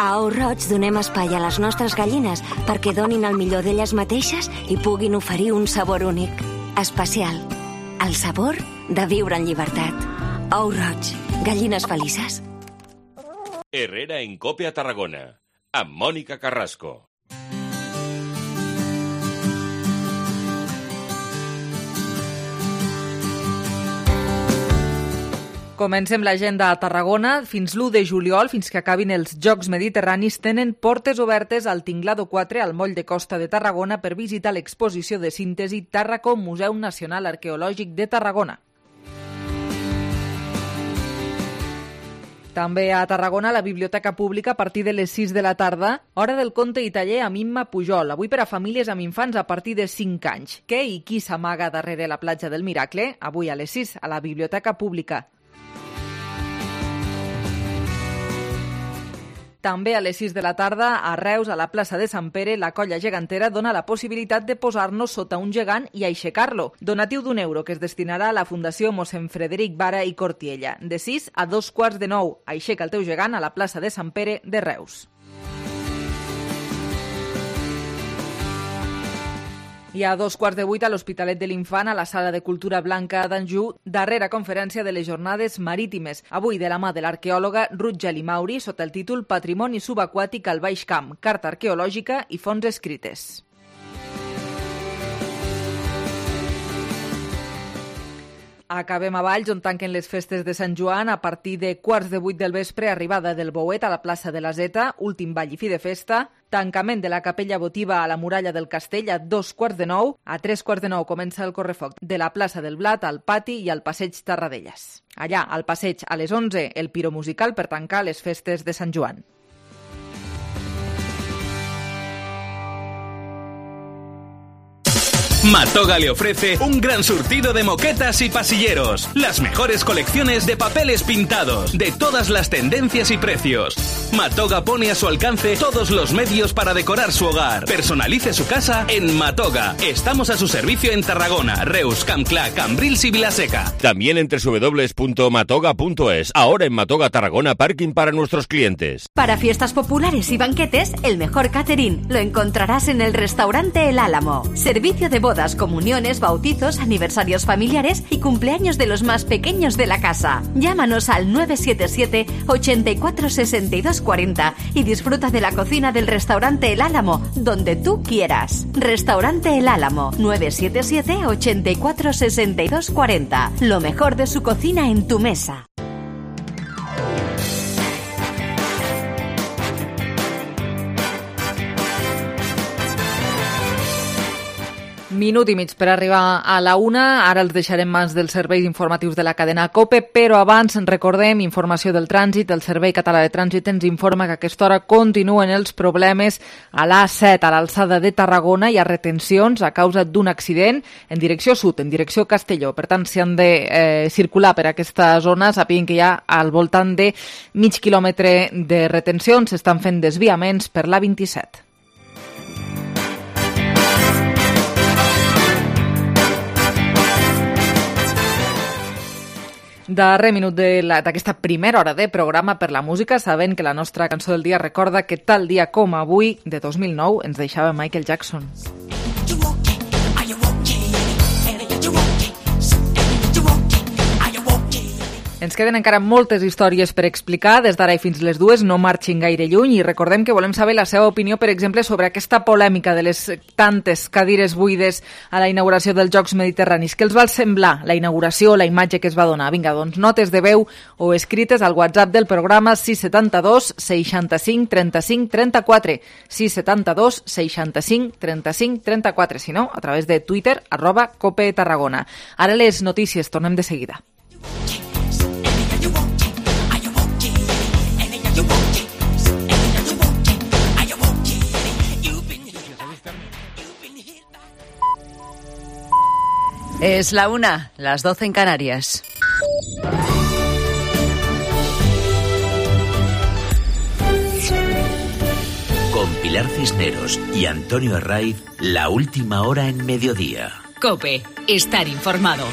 A Ou Roig donem espai a les nostres gallines perquè donin el millor d'elles mateixes i puguin oferir un sabor únic, especial. El sabor de viure en llibertat. Ou Roig, gallines felices. Herrera en Cope a Tarragona, amb Mònica Carrasco. Comencem l'agenda a Tarragona. Fins l'1 de juliol, fins que acabin els Jocs Mediterranis, tenen portes obertes al Tinglado 4, al moll de Costa de Tarragona, per visitar l'exposició de síntesi Tàrraco, Museu Nacional Arqueològic de Tarragona. També a Tarragona, la Biblioteca Pública, a partir de les 6 de la tarda, hora del conte i taller amb Imma Pujol, avui per a famílies amb infants a partir de 5 anys. Què i qui s'amaga darrere la platja del Miracle? Avui a les 6, a la Biblioteca Pública. També a les 6 de la tarda, a Reus, a la plaça de Sant Pere, la colla gegantera dona la possibilitat de posar-nos sota un gegant i aixecar-lo. Donatiu d'€1 que es destinarà a la Fundació Mossèn Frederic Vara i Cortiella. De 6 a 2:45. Aixeca el teu gegant a la plaça de Sant Pere de Reus. I a 7:15 a l'Hospitalet de l'Infant, a la Sala de Cultura Blanca d'Anjou, darrera conferència de les Jornades Marítimes. Avui de la mà de l'arqueòloga Ruth Geli Mauri, sota el títol Patrimoni subaquàtic al Baix Camp, carta arqueològica i fonts escrites. Acabem a Valls, on tanquen les festes de Sant Joan a partir de 7:15 del vespre, arribada del Bouet a la plaça de la Zeta, últim ball i fi de festa, tancament de la capella votiva a la muralla del castell a 7:45, a 7:45 comença el correfoc de la plaça del Blat al pati i al passeig Tarradellas. Allà, al passeig, a les 11, el piro musical per tancar les festes de Sant Joan. Matoga le ofrece un gran surtido de moquetas y pasilleros, las mejores colecciones de papeles pintados, de todas las tendencias y precios. Matoga pone a su alcance todos los medios para decorar su hogar. Personalice su casa en Matoga. Estamos a su servicio en Tarragona, Reus, Campclà, Cambrils y Vilaseca. También en www.matoga.es. Ahora en Matoga Tarragona, parking para nuestros clientes. Para fiestas populares y banquetes, el mejor catering lo encontrarás en el restaurante El Álamo. Servicio de bodas, comuniones, bautizos, aniversarios familiares y cumpleaños de los más pequeños de la casa. Llámanos al 977 84 62 40 y disfruta de la cocina del restaurante El Álamo, donde tú quieras. Restaurante El Álamo, 977 84 62 40. Lo mejor de su cocina en tu mesa. Minut i mig per arribar a la 1. Ara els deixarem mans dels serveis informatius de la cadena COPE, però abans recordem informació del trànsit. El Servei Català de Trànsit ens informa que a aquesta hora continuen els problemes a l'A7, a l'alçada de Tarragona. Hi ha retencions a causa d'un accident en direcció sud, en direcció Castelló. Per tant, si han de circular per aquesta zona, sàpiguen que hi ha al voltant de mig quilòmetre de retencions. S'estan fent desviaments per l'A27. Darrer minut d'aquesta primera hora de programa per la música, sabent que la nostra cançó del dia recorda que tal dia com avui, de 2009, ens deixava Michael Jackson. Ens queden encara moltes històries per explicar. Des d'ara i fins les 2 no marxin gaire lluny i recordem que volem saber la seva opinió, per exemple, sobre aquesta polèmica de les tantes cadires buides a la inauguració dels Jocs Mediterranis. Què els va semblar la inauguració, la imatge que es va donar? Vinga, doncs, notes de veu o escrites al WhatsApp del programa 672 65 35 34. 672 65 35 34. Si no, a través de Twitter, @COPETarragona. Ara les notícies, tornem de seguida. Es la 1, las 12 en Canarias. Con Pilar Cisneros y Antonio Herraiz, la última hora en mediodía. COPE, estar informado.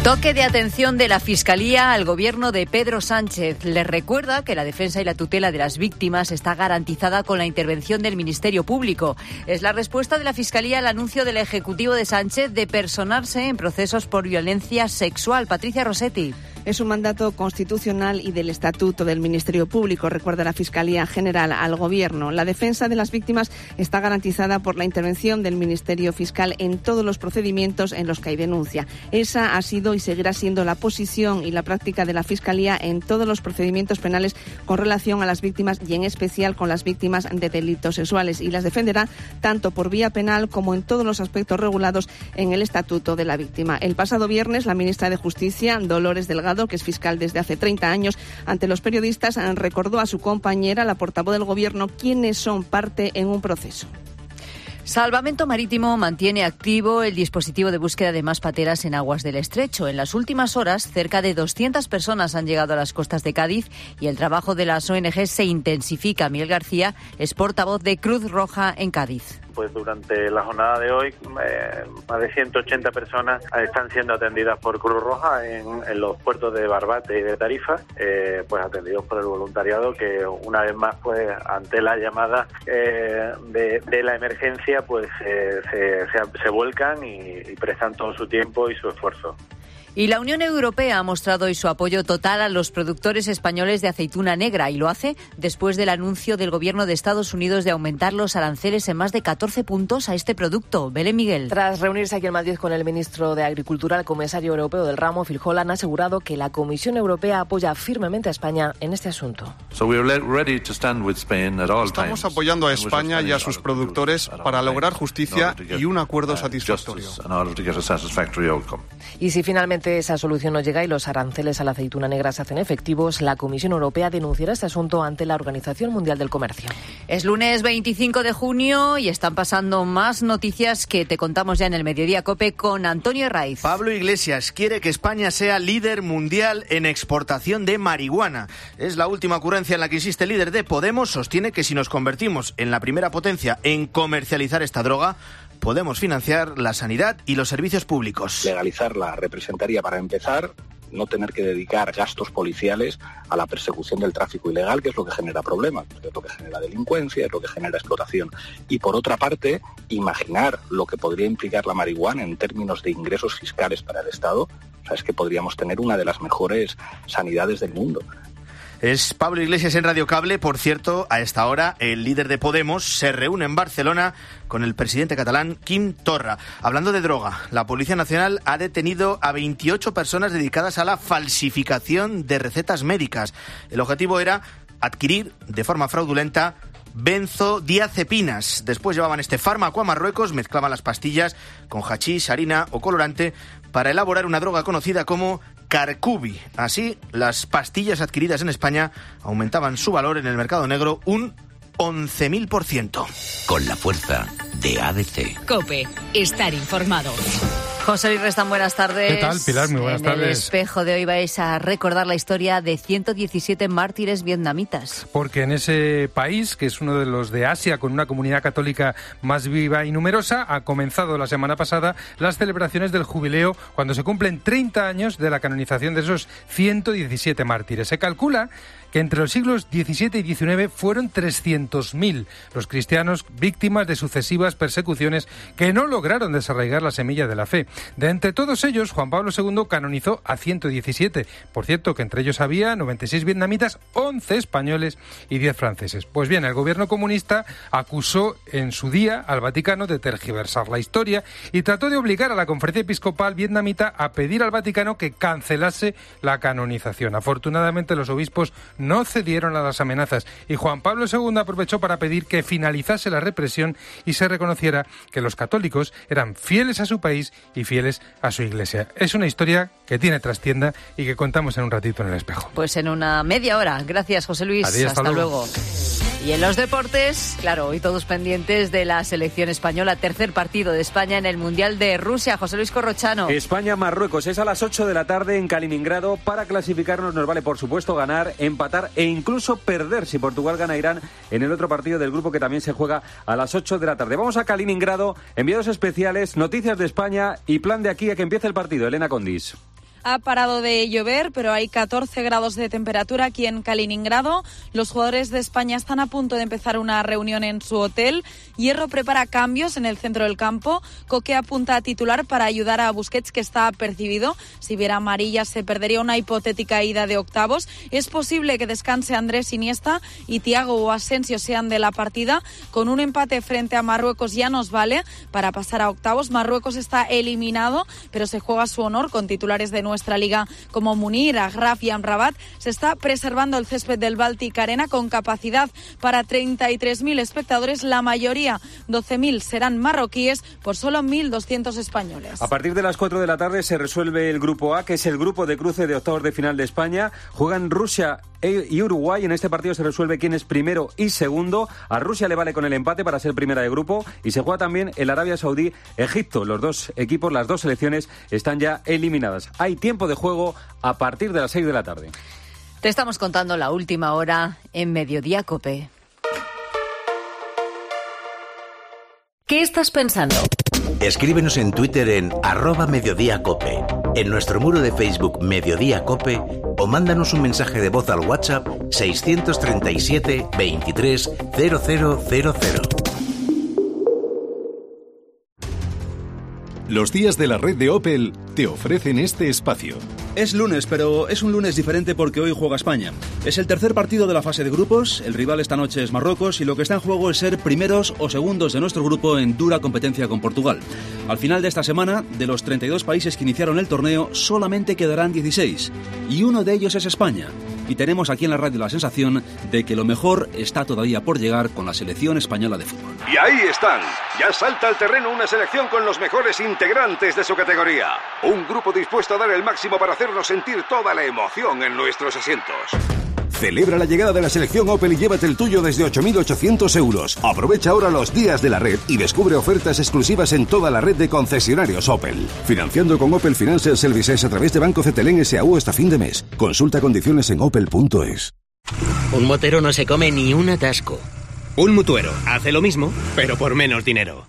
Toque de atención de la Fiscalía al gobierno de Pedro Sánchez. Les recuerda que la defensa y la tutela de las víctimas está garantizada con la intervención del Ministerio Público. Es la respuesta de la Fiscalía al anuncio del Ejecutivo de Sánchez de personarse en procesos por violencia sexual. Patricia Rossetti. Es un mandato constitucional y del Estatuto del Ministerio Público, recuerda la Fiscalía General al Gobierno. La defensa de las víctimas está garantizada por la intervención del Ministerio Fiscal en todos los procedimientos en los que hay denuncia. Esa ha sido y seguirá siendo la posición y la práctica de la Fiscalía en todos los procedimientos penales con relación a las víctimas y en especial con las víctimas de delitos sexuales, y las defenderá tanto por vía penal como en todos los aspectos regulados en el Estatuto de la Víctima. El pasado viernes, la ministra de Justicia, Dolores Delgado, que es fiscal desde hace 30 años, ante los periodistas recordó a su compañera, la portavoz del Gobierno, quiénes son parte en un proceso. Salvamento Marítimo mantiene activo el dispositivo de búsqueda de más pateras en aguas del Estrecho. En las últimas horas, cerca de 200 personas han llegado a las costas de Cádiz y el trabajo de las ONG se intensifica. Miguel García es portavoz de Cruz Roja en Cádiz. Pues durante la jornada de hoy, más de 180 personas están siendo atendidas por Cruz Roja en los puertos de Barbate y de Tarifa, pues atendidos por el voluntariado que una vez más, pues ante la llamada de la emergencia, pues se vuelcan y prestan todo su tiempo y su esfuerzo. Y la Unión Europea ha mostrado hoy su apoyo total a los productores españoles de aceituna negra, y lo hace después del anuncio del Gobierno de Estados Unidos de aumentar los aranceles en más de 14 puntos a este producto. Belén Miguel. Tras reunirse aquí en Madrid con el ministro de Agricultura, el comisario europeo del ramo, Phil Hogan, ha asegurado que la Comisión Europea apoya firmemente a España en este asunto. Estamos apoyando a España y a sus productores para lograr justicia y un acuerdo satisfactorio. Y si finalmente esa solución no llega y los aranceles a la aceituna negra se hacen efectivos, la Comisión Europea denunciará este asunto ante la Organización Mundial del Comercio. Es lunes 25 de junio y están pasando más noticias que te contamos ya en el Mediodía COPE con Antonio Herraiz. Pablo Iglesias quiere que España sea líder mundial en exportación de marihuana. Es la última ocurrencia en la que insiste el líder de Podemos. Sostiene que si nos convertimos en la primera potencia en comercializar esta droga, podemos financiar la sanidad y los servicios públicos. Legalizarla representaría, para empezar, no tener que dedicar gastos policiales a la persecución del tráfico ilegal, que es lo que genera problemas, es lo que genera delincuencia, es lo que genera explotación. Y por otra parte, imaginar lo que podría implicar la marihuana en términos de ingresos fiscales para el Estado, o sea, es que podríamos tener una de las mejores sanidades del mundo. Es Pablo Iglesias en Radio Cable. Por cierto, a esta hora el líder de Podemos se reúne en Barcelona con el presidente catalán Quim Torra. Hablando de droga, la Policía Nacional ha detenido a 28 personas dedicadas a la falsificación de recetas médicas. El objetivo era adquirir de forma fraudulenta benzodiazepinas. Después llevaban este fármaco a Marruecos, mezclaban las pastillas con hachís, harina o colorante para elaborar una droga conocida como Carcubi. Así, las pastillas adquiridas en España aumentaban su valor en el mercado negro un 11.000%. Con la fuerza de ADC. COPE, estar informado. José Luis Restán, buenas tardes. ¿Qué tal, Pilar? Muy buenas tardes. En el espejo de hoy vais a recordar la historia de 117 mártires vietnamitas. Porque en ese país, que es uno de los de Asia con una comunidad católica más viva y numerosa, ha comenzado la semana pasada las celebraciones del jubileo cuando se cumplen 30 años de la canonización de esos 117 mártires. Se calcula que entre los siglos XVII y XIX fueron 300.000 los cristianos víctimas de sucesivas persecuciones que no lograron desarraigar la semilla de la fe. De entre todos ellos, Juan Pablo II canonizó a 117. Por cierto, que entre ellos había 96 vietnamitas, 11 españoles y 10 franceses. Pues bien, el gobierno comunista acusó en su día al Vaticano de tergiversar la historia y trató de obligar a la Conferencia Episcopal vietnamita a pedir al Vaticano que cancelase la canonización. Afortunadamente, los obispos no cedieron a las amenazas y Juan Pablo II aprovechó para pedir que finalizase la represión y se reconociera que los católicos eran fieles a su país y fieles a su Iglesia. Es una historia que tiene trastienda y que contamos en un ratito en El Espejo. Pues en una media hora. Gracias, José Luis. Adiós, hasta luego. Y en los deportes, claro, hoy todos pendientes de la selección española, tercer partido de España en el Mundial de Rusia. José Luis Corrochano. España-Marruecos es a las 8 de la tarde en Kaliningrado. Para clasificarnos nos vale, por supuesto, ganar, empatar e incluso perder si Portugal gana a Irán en el otro partido del grupo que también se juega a las 8 de la tarde. Vamos a Kaliningrado, enviados especiales, noticias de España y plan de aquí a que empiece el partido. Elena Condis. Ha parado de llover, pero hay 14 grados de temperatura aquí en Kaliningrado. Los jugadores de España están a punto de empezar una reunión en su hotel. Hierro prepara cambios en el centro del campo. Coque apunta a titular para ayudar a Busquets, que está apercibido. Si viera amarilla se perdería una hipotética ida de octavos. Es posible que descanse Andrés Iniesta y Thiago o Asensio sean de la partida. Con un empate frente a Marruecos ya nos vale para pasar a octavos. Marruecos está eliminado, pero se juega su honor con titulares de nuestra liga como Munir, Agraf y Amrabat. Se está preservando el césped del Baltic Arena con capacidad para 33.000 espectadores. La mayoría, 12.000, serán marroquíes por solo 1.200 españoles. A partir de las 4 de la tarde se resuelve el grupo A, que es el grupo de cruce de octavos de final de España. Juegan Rusia y Uruguay. En este partido se resuelve quién es primero y segundo. A Rusia le vale con el empate para ser primera de grupo y se juega también el Arabia Saudí-Egipto. Los dos equipos, las dos selecciones están ya eliminadas. Hay tiempo de juego a partir de las 6 de la tarde. Te estamos contando la última hora en Mediodía COPE. ¿Qué estás pensando? Escríbenos en Twitter en @mediodíacope, en nuestro muro de Facebook Mediodía Cope o mándanos un mensaje de voz al WhatsApp 637 23 0000. Los días de la red de Opel te ofrecen este espacio. Es lunes, pero es un lunes diferente porque hoy juega España. Es el tercer partido de la fase de grupos, el rival esta noche es Marruecos y lo que está en juego es ser primeros o segundos de nuestro grupo en dura competencia con Portugal. Al final de esta semana, de los 32 países que iniciaron el torneo, solamente quedarán 16 y uno de ellos es España. Y tenemos aquí en la radio la sensación de que lo mejor está todavía por llegar con la selección española de fútbol. Y ahí están, ya salta al terreno una selección con los mejores integrantes de su categoría. Un grupo dispuesto a dar el máximo para hacernos sentir toda la emoción en nuestros asientos. Celebra la llegada de la selección Opel y llévate el tuyo desde 8.800 euros. Aprovecha ahora los días de la red y descubre ofertas exclusivas en toda la red de concesionarios Opel. Financiando con Opel Financial Services a través de Banco CTLM S.A.U. hasta fin de mes. Consulta condiciones en opel.es. Un motero no se come ni un atasco. Un mutuero hace lo mismo, pero por menos dinero.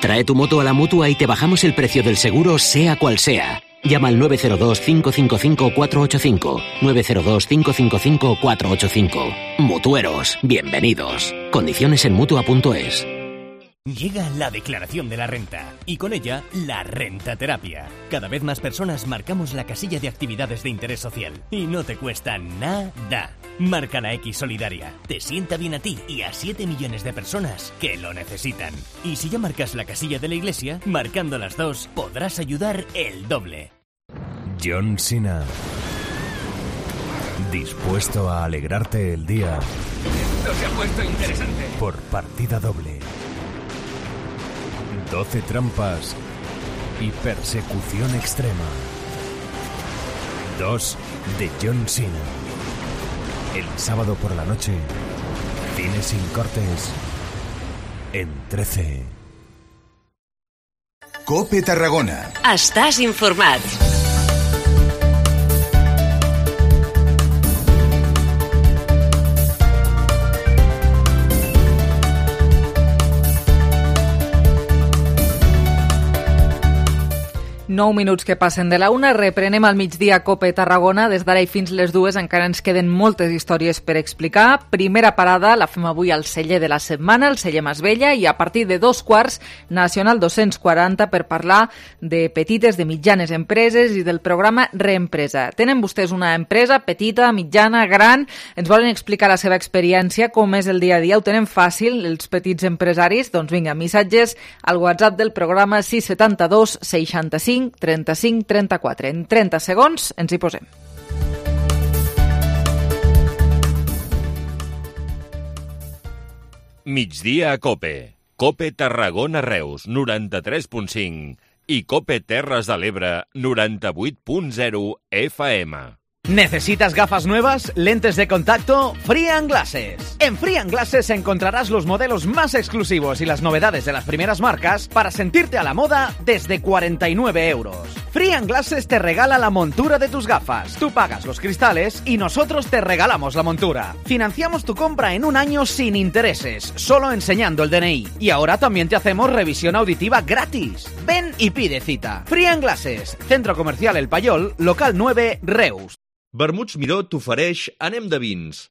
Trae tu moto a la Mutua y te bajamos el precio del seguro, sea cual sea. Llama al 902-555-485. 902-555-485. Mutueros, bienvenidos. Condiciones en Mutua.es. Llega la declaración de la renta y con ella la rentaterapia. Cada vez más personas marcamos la casilla de actividades de interés social y no te cuesta nada. Marca la X Solidaria. Te sienta bien a ti y a 7 millones de personas que lo necesitan. Y si ya marcas la casilla de la iglesia, marcando las dos podrás ayudar el doble. John Cena. Dispuesto a alegrarte el día. Esto se ha puesto interesante. Por partida doble. 12 trampas y persecución extrema. 2 de John Cena. El sábado por la noche, cine sin cortes, en 13. COPE Tarragona. Estàs informat. 9 minuts que passen de la 1, reprenem al migdia Cope Tarragona. Des d'ara i fins les 2 encara ens queden moltes històries per explicar. Primera parada la fem avui al celler de la setmana, el celler Masvella, i a partir de 2:15, Nacional 240, per parlar de petites, de mitjanes empreses i del programa Reempresa. Tenen vostès una empresa petita, mitjana, gran? Ens volen explicar la seva experiència, com és el dia a dia? Ho tenen fàcil, els petits empresaris? Doncs vinga, missatges al WhatsApp del programa 672 65 35 34. En 30 segons ens hi posem. Migdia a Cope. Cope Tarragona Reus, 93.5 i Cope Terres de l'Ebre, 98.0 FM. ¿Necesitas gafas nuevas? ¿Lentes de contacto? Free & Glasses. En Free & Glasses encontrarás los modelos más exclusivos y las novedades de las primeras marcas para sentirte a la moda desde 49 euros. Free & Glasses te regala la montura de tus gafas. Tú pagas los cristales y nosotros te regalamos la montura. Financiamos tu compra en 1 año sin intereses, solo enseñando el DNI. Y ahora también te hacemos revisión auditiva gratis. Ven y pide cita. Free & Glasses, Centro Comercial El Payol, local 9, Reus. Vermuts Miró t'ofereix Anem de vins.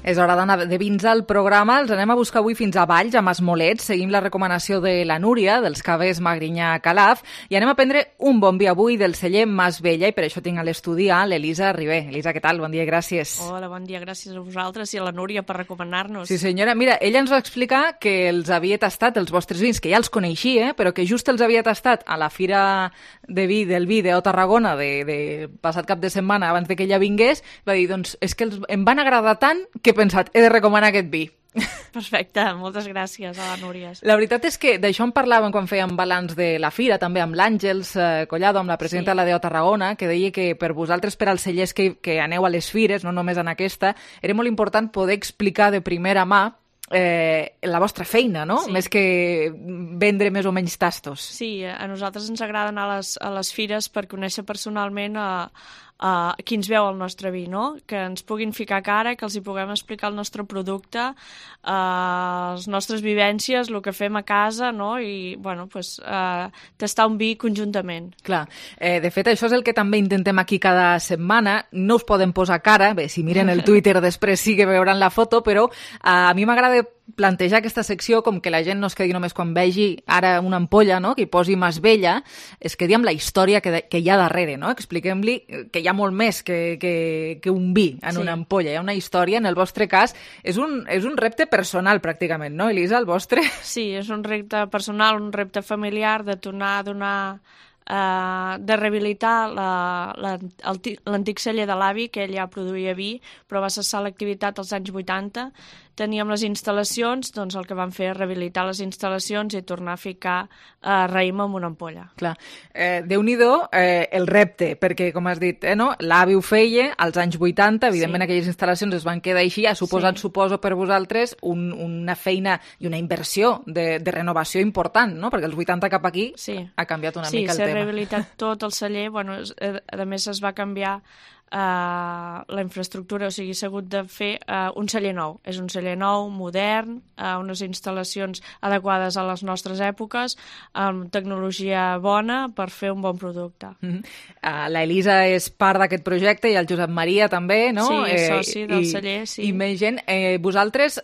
És hora d'anar de vins al programa. Els anem a buscar avui fins a Valls, a Masmolets. Seguim la recomanació de la Núria, dels cavers Magrinyà Calaf, i anem a prendre un bon vi avui del celler Masvella, i per això tinc a l'estudi a l'Elisa Ribé. Elisa, què tal? Bon dia i gràcies. Hola, bon dia, gràcies a vosaltres i a la Núria per recomanar-nos. Sí, senyora. Mira, ella ens va explicar que els havia tastat, els vostres vins, que ja els coneixia, però que just els havia tastat a la Fira del Vi de Tarragona de passat cap de setmana, abans de que ella vingués. Va dir, doncs, és que em van agradar tant que he pensat, he de recomanar aquest vi. Perfecte, moltes gràcies a la Núria. La veritat és que d'això en parlàvem quan fèiem balanç de la Fira, també amb l'Àngels Collado, amb la presidenta de la DO Tarragona, que deia que per vosaltres, per als cellers que aneu a les fires, no només en aquesta, era molt important poder explicar de primera mà la vostra feina, no? Sí. Més que vendre més o menys tastos. Sí, a nosaltres ens agrada anar a les fires per conèixer personalment qui ens veu el nostre vi, no? Que ens puguin ficar cara, que els hi puguem explicar el nostre producte, les nostres vivències, el que fem a casa, no? I, bueno, pues, tastar un vi conjuntament. Clar. De fet, això és el que també intentem aquí cada setmana. No us poden posar cara, bé, si miren el Twitter després sí que veuran la foto, però a mi m'agrada plantejar aquesta secció com que la gent no es quedi només quan vegi ara una ampolla, no?, que hi posi Masvella, es quedi amb la història que hi ha darrere, no? Expliquem-li que hi ha molt més que un vi en una ampolla, hi ha una història. En el vostre cas és un repte personal pràcticament, no, Elisa, el vostre? Sí, és un repte personal, un repte familiar de tornar a donar de rehabilitar l'antic celler de l'avi, que ell ja produïa vi, però va cessar l'activitat als anys 80. Teníem les instal·lacions, doncs el que vam fer és rehabilitar les instal·lacions i tornar a ficar raïm en una ampolla. Clar. Déu-n'hi-do el repte, perquè, com has dit, no? L'avi ho feia als anys 80, evidentment aquelles instal·lacions es van quedar així, ha suposat, suposo, per vosaltres una feina i una inversió de renovació important, no? Perquè els 80 cap aquí ha canviat una mica el tema. Sí, s'ha rehabilitat tot el celler, bueno, a més es va canviar la infraestructura, o sigui, s'ha hagut de fer un celler nou. És un celler nou, modern, unes instal·lacions adequades a les nostres èpoques, amb tecnologia bona per fer un bon producte. La Elisa és part d'aquest projecte i el Josep Maria també, no? Sí, és soci del celler, sí. I més gent. Vosaltres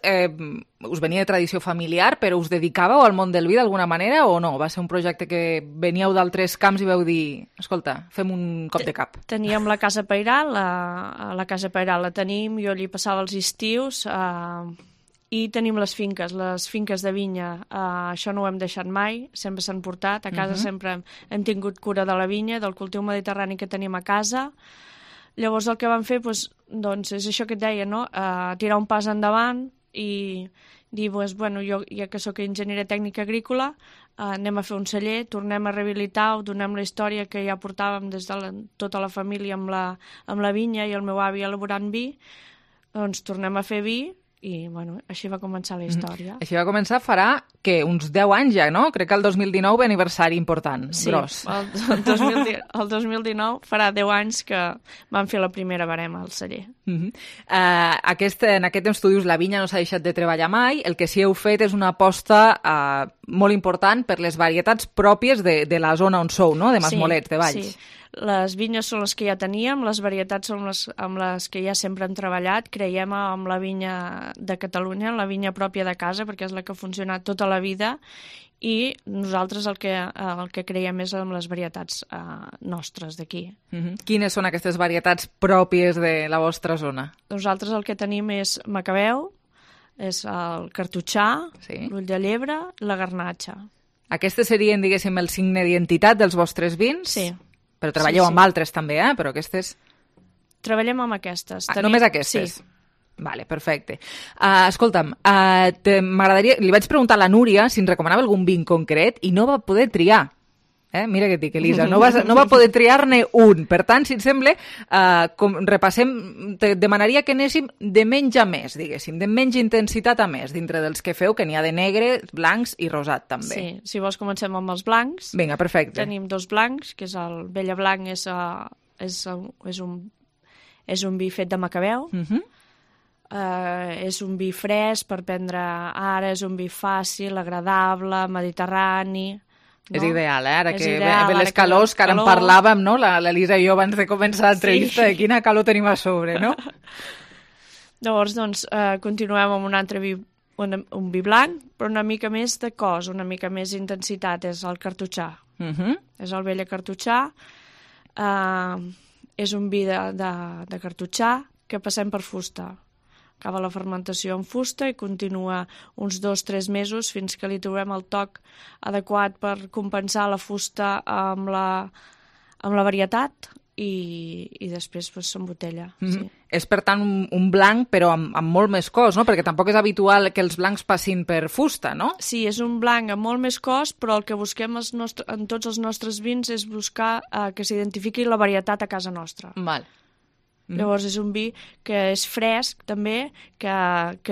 us venia de tradició familiar, però us dedicàveu al món del vi d'alguna manera o no? Va ser un projecte que veníeu d'altres camps i veu dir, escolta, fem un cop de cap. Teníem la Casa Pairal, la Casa Pairal la tenim, jo allí passava els estius, i tenim les finques de vinya. Això no ho hem deixat mai, sempre s'han portat. A casa sempre hem tingut cura de la vinya, del cultiu mediterrani que tenim a casa. Llavors el que vam fer doncs, és això que et deia, no? Tirar un pas endavant i dir, bueno, jo ja que sóc enginyera tècnica agrícola, anem a fer un celler, tornem a rehabilitar, donem la història que ja portàvem des de tota la família amb la vinya i el meu avi elaborant vi, doncs tornem a fer vi I, bueno, així va començar la història. Així va començar farà, uns 10 anys ja, no? Crec que el 2019 ve aniversari important, gros. Sí, el 2019 farà 10 anys que vam fer la primera barema al celler. En aquest temps tu dius la vinya no s'ha deixat de treballar mai, el que sí heu fet és una aposta molt important per les varietats pròpies de la zona on sou, no? De Masmolets, de Valls. Sí. Les vinyes són les que ja teníem, les varietats són les amb les que ja sempre hem treballat. Creiem en la vinya de Catalunya, en la vinya pròpia de casa, perquè és la que ha funcionat tota la vida, i nosaltres el que creiem és en les varietats nostres d'aquí. Quines són aquestes varietats pròpies de la vostra zona? Nosaltres el que tenim és macabeu, és el cartutxà, l'ull de llebre, la garnatxa. Aquestes serien, diguéssim, el signe d'identitat dels vostres vins? Sí. Però treballeu amb altres també, però aquestes... Treballem amb aquestes. Només aquestes? Sí. Vale, perfecte. Escolta'm, m'agradaria... Li vaig preguntar a la Núria si ens recomanava algun vi en concret i no va poder triar. Mira què et dic, Elisa, no va poder triar-ne un. Per tant, si et sembla, repassem, te demanaria que anéssim de menys a més, diguéssim, de menys intensitat a més, dintre dels que feu, que n'hi ha de negre, blancs i rosat, també. Sí, si vols comencem amb els blancs. Vinga, perfecte. Tenim 2 blancs, que és el Vella Blanc, és un vi fet de macabeu. És un vi fresc per prendre ara, és un vi fàcil, agradable, mediterrani... No? És ideal, ara que ve les calors, que ara en parlàvem, no? L'Elisa i jo abans de començar l'entrevista, de quina calor tenim a sobre, no? Llavors, doncs, continuem amb un altre vi, un vi blanc, però una mica més de cos, una mica més intensitat, és el cartutxà. És el Vella cartutxà, és un vi de cartutxà que passem per fusta. Acaba la fermentació en fusta i continua uns 2-3 mesos fins que li trobem el toc adequat per compensar la fusta amb la varietat i després s'embotella. Sí. És, per tant, un blanc, però amb molt més cos, no? Perquè tampoc és habitual que els blancs passin per fusta, no? Sí, és un blanc amb molt més cos, però el que busquem en tots els nostres vins és buscar que s'identifiqui la varietat a casa nostra. Val. Llavors és un vi que és fresc també, que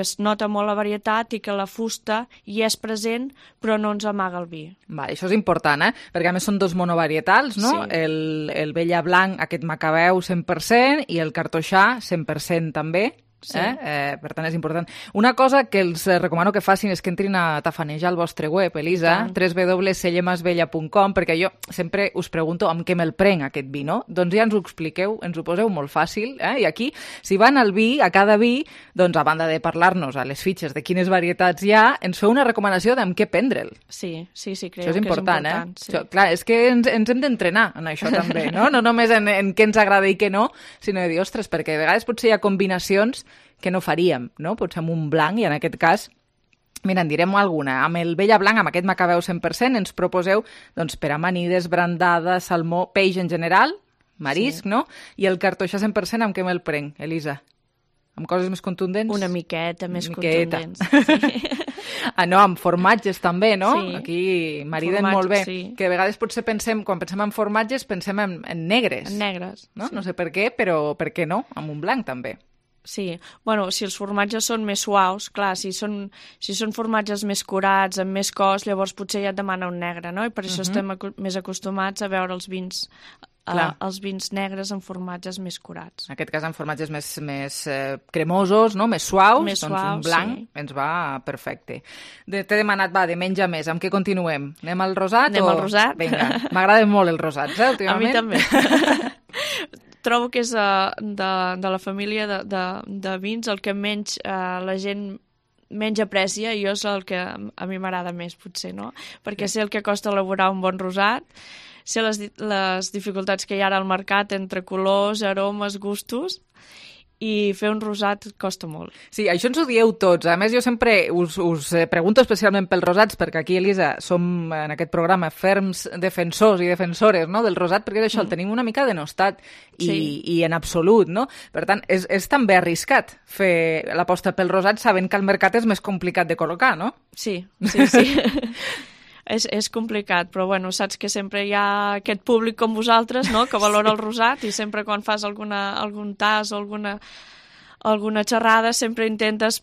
es nota molt la varietat i que la fusta hi és present però no ens amaga el vi. Va, això és important, perquè a més són 2 monovarietals, no? Sí. El Vella Blanc, aquest macabeu 100% i el cartoixà 100% també. Sí. Per tant és important. Una cosa que els recomano que facin és que entrin a tafanejar el vostre web, Elisa, www.sellemasvella.com, perquè jo sempre us pregunto amb què me'l prenc aquest vi, no? Doncs ja ens ho expliqueu, ens ho poseu molt fàcil, i aquí, si van al vi, a cada vi, doncs a banda de parlar-nos a les fitxes de quines varietats hi ha, ens feu una recomanació d'amb què prendre'l. Sí, crec això és important, que és important. Sí. Això, clar, és que ens hem d'entrenar en això també, no? No només en què ens agrada i què no, sinó de dir, ostres, perquè a vegades potser hi ha combinacions que no faríem, no? Potser amb un blanc, i en aquest cas, mira, en direm alguna. Amb el Vella Blanc, amb aquest macabeu 100%, ens proposeu, doncs, per amanides, brandada, salmó, peix en general, marisc, no? I el cartoixà 100%, amb què me'l prenc, Elisa? Amb coses més contundents? Una miqueta més contundents. Sí. No, amb formatges també, no? Sí. Aquí mariden molt bé. Sí. Que a vegades potser quan pensem en formatges, pensem en negres. En negres. No? Sí. No sé per què, però per què no? Amb un blanc també. Sí, bueno, si els formatges són més suaus, clar, si són formatges més curats, amb més cos, llavors potser ja et demana un negre, no? I per això estem més acostumats a veure els vins negres amb formatges més curats. En aquest cas, amb formatges més cremosos, no? Més suaus, un blanc ens va perfecte. T'he demanat, de menys a més, amb què continuem? Anem al rosat? Anem al rosat. Vinga, m'agraden molt els rosats, últimament. A mi també. Trobo que és de la família de vins el que menys la gent menys aprecia, i és el que a mi m'agrada més, potser, no? Perquè sé el que costa elaborar un bon rosat, sé les dificultats que hi ha ara al mercat entre colors, aromes, gustos, i fer un rosat costa molt. Sí, això ens ho dieu tots. A més, jo sempre us pregunto especialment pels rosats, perquè aquí, Elisa, som en aquest programa ferms defensors i defensores, no?, del rosat, perquè això el tenim una mica denostat i en absolut, no? Per tant, és també arriscat fer l'aposta pel rosat sabent que el mercat és més complicat de col·locar, no? Sí. És complicat, però bueno, saps que sempre hi ha aquest públic com vosaltres, no?, que valora el rosat, i sempre quan fas algun tas o alguna xerrada sempre intentes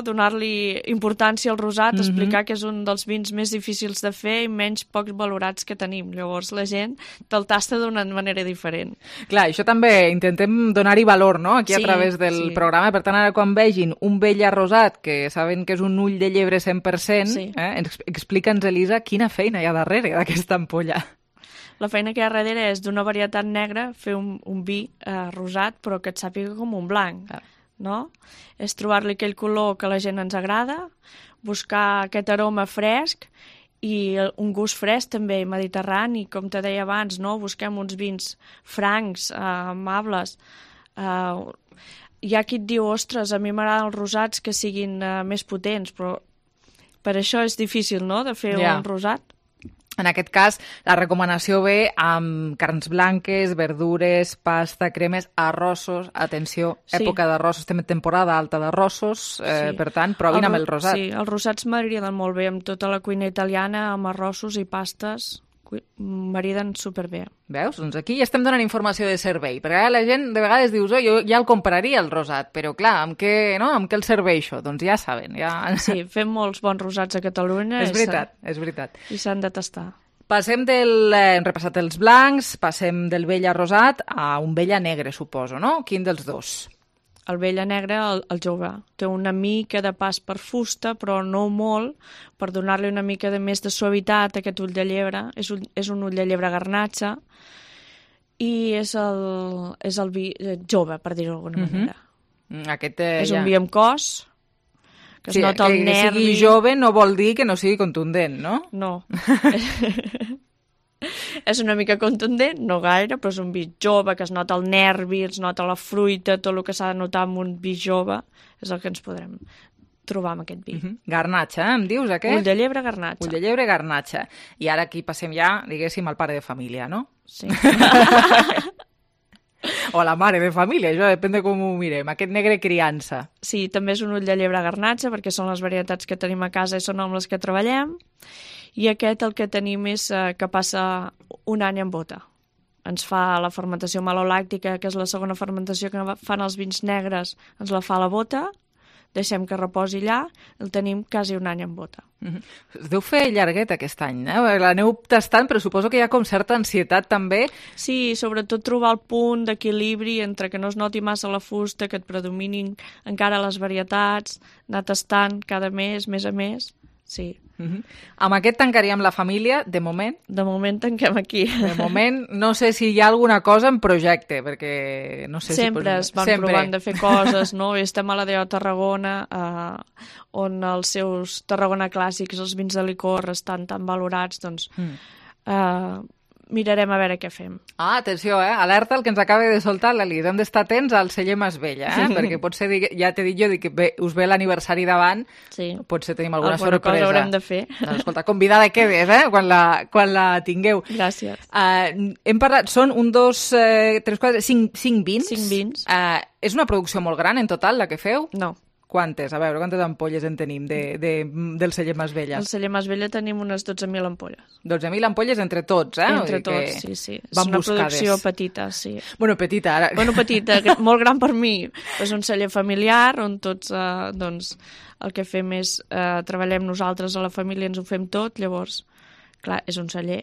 donar-li importància al rosat, explicar que és un dels vins més difícils de fer i menys pocs valorats que tenim. Llavors la gent te'l tasta d'una manera diferent. Clar, això també intentem donar-hi valor, no?, aquí a través del programa. Per tant, ara quan vegin un Vella rosat, que saben que és un ull de llebre 100%, explica'ns, Elisa, quina feina hi ha darrere d'aquesta ampolla. La feina que hi ha darrere és d'una varietat negra fer un vi rosat, però que et sàpiga com un blanc, no? És trobar-li aquell color que a la gent ens agrada, buscar aquest aroma fresc i un gust fresc també mediterrani, com te deia abans, no? Busquem uns vins francs, amables. Hi ha qui et diu, ostres, a mi m'agraden els rosats que siguin més potents, però per això és difícil, no?, de fer un rosat. En aquest cas, la recomanació ve amb carns blanques, verdures, pasta, cremes, arrossos. Atenció, època d'arrossos, estem en temporada alta d'arrossos, per tant, provin amb el rosat. Sí, els rosats m'agraden molt bé, amb tota la cuina italiana, amb arrossos i pastes, m'agraden superbé. Veus? Doncs aquí ja estem donant informació de servei, perquè la gent de vegades dius, jo ja el compraria el rosat, però clar, amb què el serveixo? Doncs ja saben. Sí, fem molts bons rosats a Catalunya. És veritat. I s'han de tastar. Hem repassat els blancs, passem del Vella rosat a un Vella negre, suposo, no? Quin dels dos? El Vella negre, el jove, té una mica de pas per fusta, però no molt, per donar-li una mica més de suavitat a aquest ull de llebre. És un ull de llebre garnatxa i és el vi jove, per dir-ho d'alguna manera. És un vi amb cos, que es nota el nervi. Que sigui jove no vol dir que no sigui contundent, no? No. És una mica contundent, no gaire, però és un vi jove, que es nota el nervi, es nota la fruita, tot el que s'ha de notar en un vi jove, és el que ens podrem trobar amb aquest vi. Garnatxa, em dius aquest? Ull de llebre garnatxa. Ull de llebre garnatxa. I ara aquí passem ja, diguéssim, al pare de família, no? Sí. O a la mare de família, això depèn de com ho mirem. Aquest negre criança. Sí, també és un ull de llebre garnatxa, perquè són les varietats que tenim a casa i són amb les que treballem. I aquest el que tenim és que passa un any en bota. Ens fa la fermentació malolàctica, que és la segona fermentació que fan els vins negres, ens la fa a la bota, deixem que reposi allà, el tenim quasi un any en bota. Es deu fer llarguet aquest any, l'aneu tastant, però suposo que hi ha com certa ansietat també. Sí, sobretot trobar el punt d'equilibri entre que no es noti massa la fusta, que et predominin encara les varietats, anar tastant cada mes, més a més, sí. Amb aquest tancaríem la família, de moment? De moment tanquem aquí. De moment, no sé si hi ha alguna cosa en projecte, perquè no sé sempre si... es van provant de fer coses, no? Estem a la DO Tarragona, on els seus Tarragona clàssics, els vins de licor, estan tan valorats, doncs mirarem a veure què fem. Atenció, alerta el que ens acaba de soltar l'Elisa. Hem d'estar atents al celler Masvella, perquè potser, ja t'he dit jo, que us ve l'aniversari davant, potser tenim alguna sorpresa. Alguna cosa haurem de fer. Escolta, convidada quedes, quan la tingueu. Gràcies. Hem parlat, són 5 vins. 5 vins. És una producció molt gran en total, la que feu? No. Quantes? A veure, quantes ampolles en tenim del celler Masvella? Al celler Masvella tenim unes 12.000 ampolles. 12.000 ampolles entre tots, Entre tots, sí. És una producció petita, sí. Bueno, petita, ara. Bueno, petita, molt gran per mi. És un celler familiar on tots, doncs, el que fem és treballem nosaltres a la família, ens ho fem tot, llavors, clar, és un celler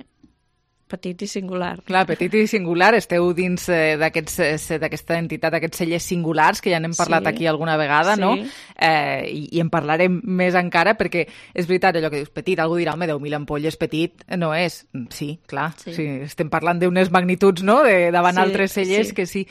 petit i singular. Clar, petit i singular, esteu dins d'aquesta entitat, d'aquests cellers singulars, que ja n'hem parlat aquí alguna vegada, no? I en parlarem més encara, perquè és veritat allò que dius, petit, algú dirà, home, 10.000 ampolles, petit, no és. Sí, clar, sí, estem parlant d'unes magnituds, no?, davant altres cellers, que sí.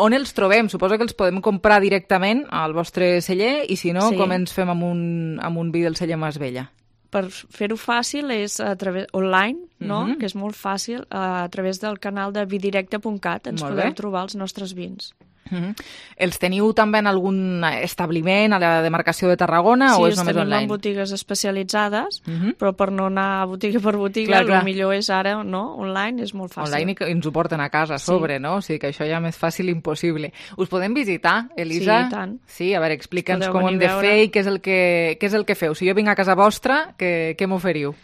On els trobem? Suposo que els podem comprar directament al vostre celler, i si no, com ens fem amb un vi del celler Masvella? Per fer-ho fàcil és a través online, no? Que és molt fàcil, a través del canal de vidirecte.cat ens podeu trobar els nostres vins. Els teniu també en algun establiment a la demarcació de Tarragona o és només online? Sí, els tenim en botigues especialitzades, però per no anar botiga per botiga, el millor és ara, no? Online és molt fàcil. Online i ens ho porten a casa a sobre, no? O sigui que això ja més fàcil impossible. Us podem visitar, Elisa? Sí, i tant. Sí, a veure, explica'ns com hem de fer i què és el que feu. Si jo vinc a casa vostra, què m'oferiu?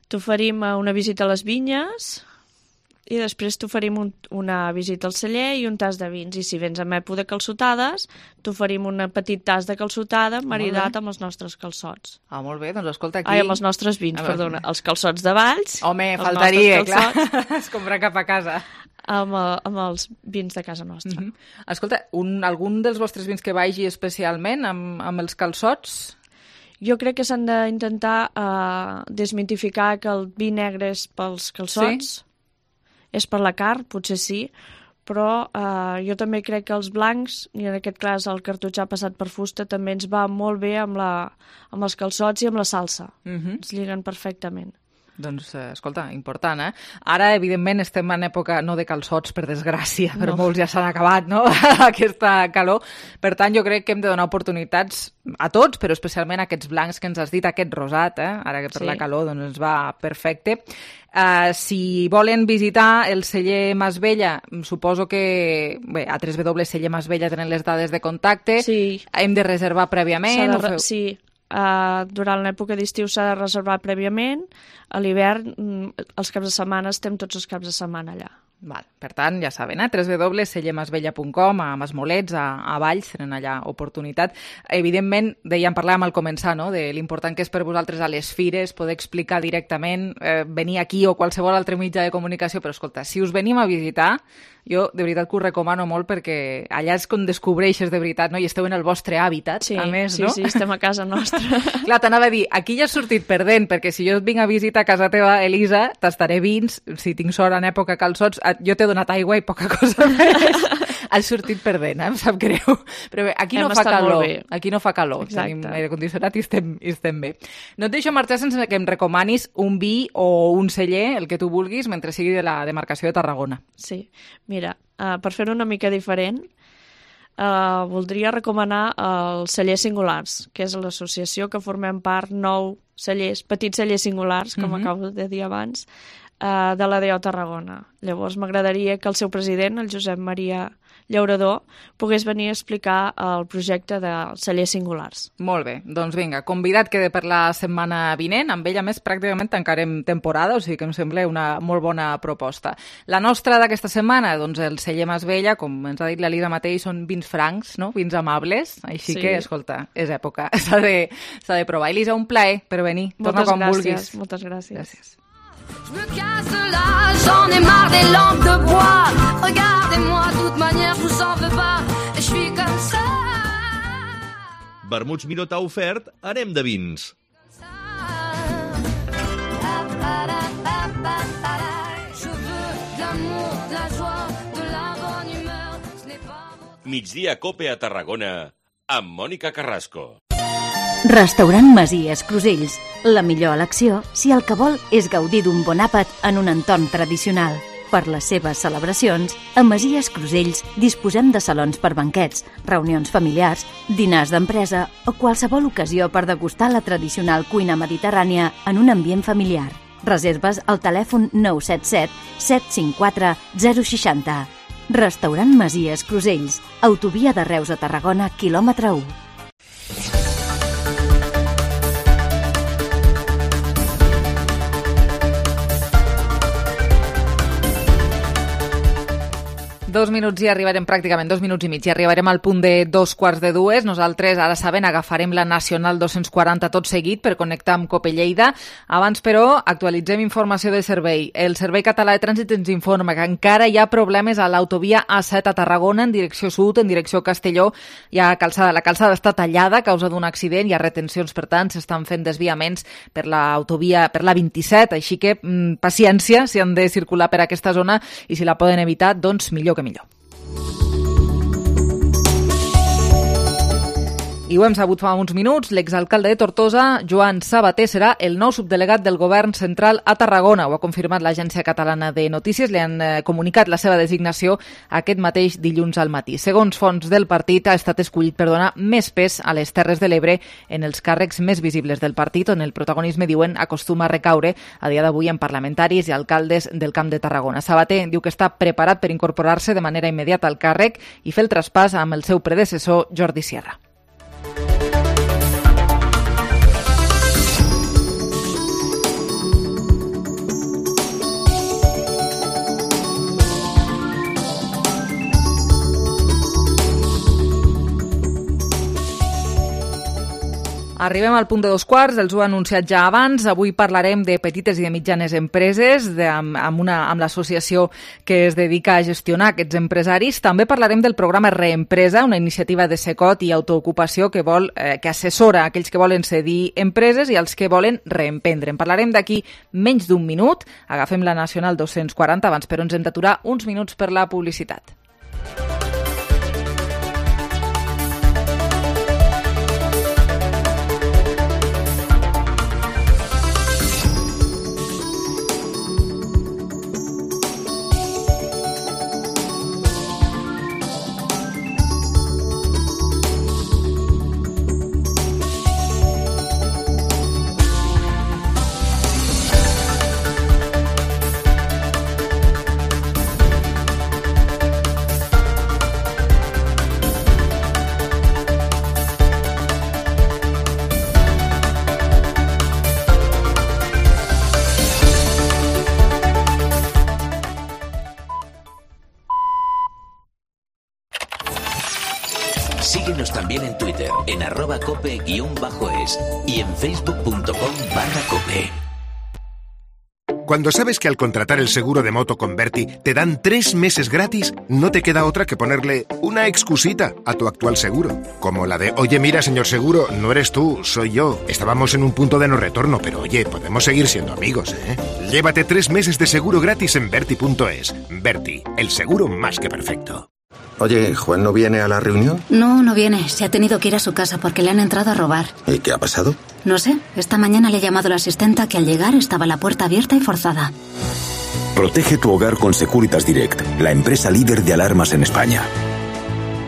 T'oferim una visita a les vinyes, i després t'oferim una visita al celler i un tas de vins. I si vens en època de calçotades, t'oferim un petit tas de calçotada maridat amb els nostres calçots. Molt bé, doncs escolta aquí... Ai, amb els nostres vins, perdona. Els calçots de Valls... Home, faltaria, clar. Es compra cap a casa. Amb els vins de casa nostra. Escolta, algun dels vostres vins que vagi especialment amb els calçots? Jo crec que s'han d'intentar desmitificar que el vi negre és pels calçots, és per la carn, potser sí, però jo també crec que els blancs, i en aquest cas el cartutxà passat per fusta, també ens va molt bé amb els calçots i amb la salsa. Ens lliguen perfectament. Doncs, escolta, important, eh? Ara, evidentment, estem en època no de calçots, per desgràcia, però molts ja s'han acabat, no?, aquesta calor. Per tant, jo crec que hem de donar oportunitats a tots, però especialment a aquests blancs que ens has dit, aquest rosat, ara que per la calor doncs ens va perfecte. Si volen visitar el celler Masvella, suposo que bé, a www.cellermasvella tenen les dades de contacte, hem de reservar prèviament? Sí, durant l'època d'estiu s'ha de reservar prèviament, a l'hivern els caps de setmana estem tots els caps de setmana allà. Val. Per tant, ja saben, www.cellermasvella.com, a Masmolets, a Valls, tenen allà oportunitat. Evidentment, parlàvem al començar, no?, de l'important que és per vosaltres a les fires poder explicar directament, venir aquí o qualsevol altre mitjà de comunicació, però escolta, si us venim a visitar, jo de veritat que us recomano molt perquè allà és com descobreixes de veritat, no?, i esteu en el vostre hàbitat, a més, no? Sí, estem a casa nostra. Clar, t'anava a dir, aquí ja has sortit perdent, perquè si jo et vinc a visitar a casa teva, Elisa, tastaré vins, si tinc sort en època calçots, jo t'he donat aigua i poca cosa més. Has sortit perdent, em sap greu. Però bé, aquí no fa calor. Aquí no fa calor. Tenim aire condicionat i estem bé. No et deixo marxar sense que em recomanis un vi o un celler, el que tu vulguis, mentre sigui de la demarcació de Tarragona. Sí, mira, per fer-ho una mica diferent, voldria recomanar el Celler Singulars, que és l'associació que formem part 9 cellers, petits cellers singulars, com acabo de dir abans, de l'ADO Tarragona. Llavors m'agradaria que el seu president, el Josep Maria Llaurador, pogués venir a explicar el projecte de cellers singulars. Molt bé, doncs vinga, convidat queda per la setmana vinent, amb ell a més pràcticament tancarem temporada, o sigui que em sembla una molt bona proposta. La nostra d'aquesta setmana, doncs el celler Masvella, com ens ha dit l'Elisa mateix, són vins francs, no?, vins amables, així que, escolta, és època, s'ha de provar. Elisa, un plaer per venir, torna quan vulguis. Moltes gràcies. Gràcies. Je me casse là, j'en ai marre des lampes de bois. Regardez-moi, de toute manière, je vous en veux pas. Je suis comme ça. Vermuts Miró t'ha ofert Anem de vins. Migdia Cope a Tarragona amb Mònica Carrasco. Restaurant Masies Crusells. La millor elecció si el que vol és gaudir d'un bon àpat en un entorn tradicional. Per les seves celebracions, a Masies Crusells disposem de salons per banquets, reunions familiars, dinars d'empresa o qualsevol ocasió per degustar la tradicional cuina mediterrània en un ambient familiar. Reserves al telèfon 977 754 060. Restaurant Masies Crusells. Autovia de Reus a Tarragona, quilòmetre 1. Dos minuts i arribarem, pràcticament 2 minuts i mig, i arribarem al punt de 2:45. Nosaltres, ara saben, agafarem la Nacional 240 tot seguit per connectar amb Cope Lleida. Abans, però, actualitzem informació de servei. El Servei Català de Trànsit ens informa que encara hi ha problemes a l'autovia A7 a Tarragona, en direcció sud, en direcció Castelló. La calçada està tallada a causa d'un accident, hi ha retencions, per tant, s'estan fent desviaments per l'autovia, per la 27, així que paciència si han de circular per aquesta zona i si la poden evitar, doncs millor que millor. I ho hem sabut fa uns minuts, l'exalcalde de Tortosa, Joan Sabater, serà el nou subdelegat del govern central a Tarragona. Ho ha confirmat l'Agència Catalana de Notícies, li han comunicat la seva designació aquest mateix dilluns al matí. Segons fonts del partit, ha estat escollit per donar més pes a les Terres de l'Ebre en els càrrecs més visibles del partit, on el protagonisme, diuen, acostuma a recaure a dia d'avui en parlamentaris i alcaldes del Camp de Tarragona. Sabater diu que està preparat per incorporar-se de manera immediata al càrrec i fer el traspàs amb el seu predecessor, Jordi Sierra. Arribem al punt de 2:15, els ho he anunciat ja abans. Avui parlarem de petites i de mitjanes empreses, amb l'associació que es dedica a gestionar aquests empresaris. També parlarem del programa Reempresa, una iniciativa de Secot i Autoocupació que assessora aquells que volen cedir empreses i els que volen reemprendre. En parlarem d'aquí menys d'un minut. Agafem la Nacional 240 abans, però ens hem d'aturar uns minuts per la publicitat. Síguenos también en Twitter, en @cope_es y en facebook.com/cope. Cuando sabes que al contratar el seguro de moto con Berti te dan 3 meses gratis, no te queda otra que ponerle una excusita a tu actual seguro. Como la de, oye, mira, señor seguro, no eres tú, soy yo. Estábamos en un punto de no retorno, pero oye, podemos seguir siendo amigos, ¿eh? Llévate 3 meses de seguro gratis en Berti.es. Berti, el seguro más que perfecto. Oye, ¿Juan no viene a la reunión? No viene. Se ha tenido que ir a su casa porque le han entrado a robar. ¿Y qué ha pasado? No sé. Esta mañana le he llamado a la asistenta que al llegar estaba la puerta abierta y forzada. Protege tu hogar con Securitas Direct, la empresa líder de alarmas en España.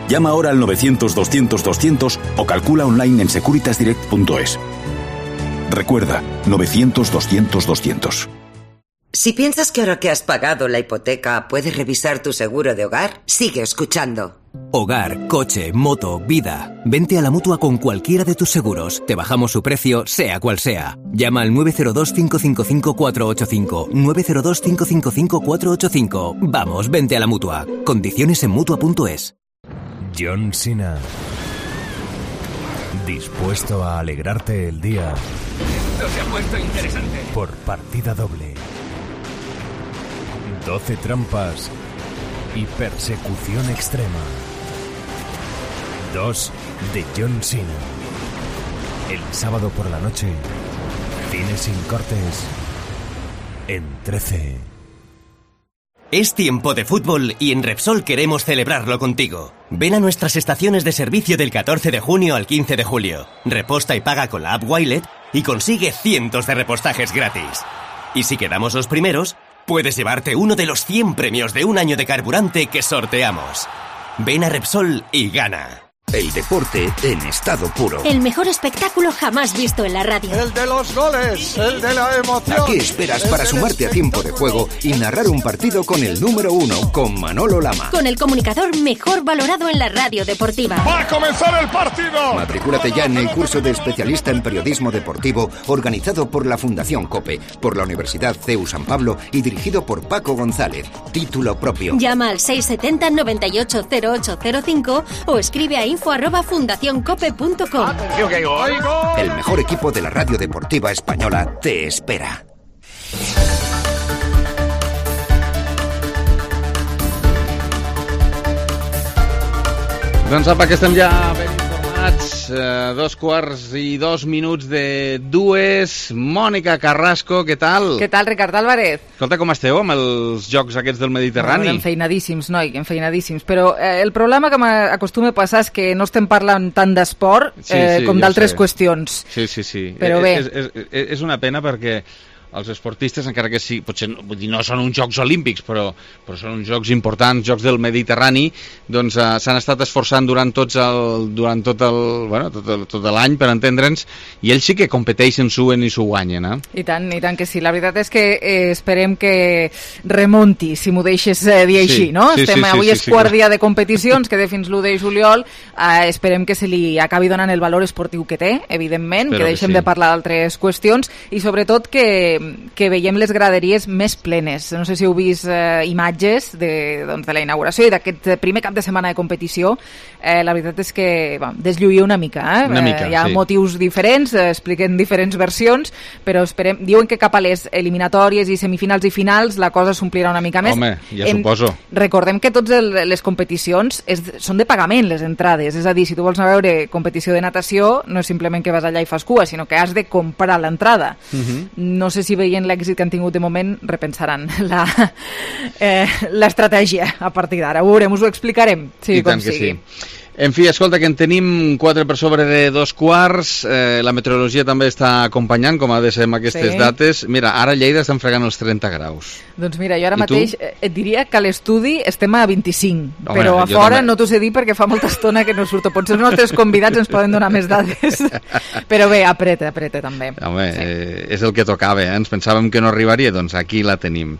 Llama ahora al 900-200-200 o calcula online en securitasdirect.es. Recuerda, 900-200-200. Si piensas que ahora que has pagado la hipoteca puedes revisar tu seguro de hogar, sigue escuchando. Hogar, coche, moto, vida. Vente a la Mutua con cualquiera de tus seguros. Te bajamos su precio, sea cual sea. Llama al 902-555-485. 902-555-485. Vamos, vente a la Mutua. Condiciones en Mutua.es. John Cena. Dispuesto a alegrarte el día. Esto se ha puesto interesante. Por partida doble. 12 trampas y persecución extrema. 2 de John Cena. El sábado por la noche, cine sin cortes en 13. Es tiempo de fútbol y en Repsol queremos celebrarlo contigo. Ven a nuestras estaciones de servicio del 14 de junio al 15 de julio. Reposta y paga con la app Wilet y consigue cientos de repostajes gratis. Y si quedamos los primeros, puedes llevarte uno de los 100 premios de un año de carburante que sorteamos. Ven a Repsol y gana. El deporte en estado puro. El mejor espectáculo jamás visto en la radio. El de los goles, el de la emoción. ¿A qué esperas para sumarte a tiempo de juego y narrar un partido con el número 1, con Manolo Lama? Con el comunicador mejor valorado en la radio deportiva. ¡Va a comenzar el partido! Matricúlate ya en el curso de especialista en periodismo deportivo organizado por la Fundación COPE, por la Universidad CEU San Pablo y dirigido por Paco González. Título propio. Llama al 670-980805 o escribe a info@fundacioncope.com. ¡Atención que hay gol! El mejor equipo de la radio deportiva española te espera. Doncs apa, que estem ja ben informats, 2:02 de 2. Mònica Carrasco, què tal? Què tal, Ricard Álvarez? Escolta, com esteu amb els jocs aquests del Mediterrani? Enfeinadíssims, noi, enfeinadíssims. Però el problema que m'acostuma a passar és que no estem parlant tant d'esport com d'altres qüestions. Sí. Però bé. És una pena perquè els esportistes, encara que sí, potser no són uns Jocs Olímpics, però són uns jocs importants, jocs del Mediterrani, doncs s'han estat esforçant durant tot l'any, per entendre'ns, i ells sí que competeixen, suen i s'ho guanyen, eh? I tant que sí. La veritat és que esperem que remonti, si m'ho deixes dir així, no? Avui és quart dia de competicions, queda fins l'1 de juliol, esperem que se li acabi donant el valor esportiu que té, evidentment, que deixem de parlar d'altres qüestions, i sobretot que que veiem les graderies més plenes. No sé si heu vist imatges de la inauguració i d'aquest primer cap de setmana de competició. La veritat és que deslluïa una mica. Hi ha motius diferents, expliquen diferents versions, però diuen que cap a les eliminatòries i semifinals i finals la cosa s'omplirà una mica més. Home, ja suposo. Recordem que totes les competicions són de pagament, les entrades. És a dir, si tu vols anar a veure competició de natació, no és simplement que vas allà i fas cua, sinó que has de comprar l'entrada. No sé si veient l'èxit que han tingut de moment repensaran l'estratègia a partir d'ara. Ho veurem, us ho explicarem. Sí, com sigui. Sí. En fi, escolta, que en tenim 4 per sobre de 2:15. La meteorologia també està acompanyant, com ha de ser amb aquestes dates. Mira, ara a Lleida estan fregant els 30 graus. Doncs mira, jo ara mateix et diria que a l'estudi estem a 25, però a fora no t'ho sé dir perquè fa molta estona que no surto. Potser els nostres convidats ens poden donar més dades. Però bé, apreta també. Home, és el que tocava, ens pensàvem que no arribaria, doncs aquí la tenim.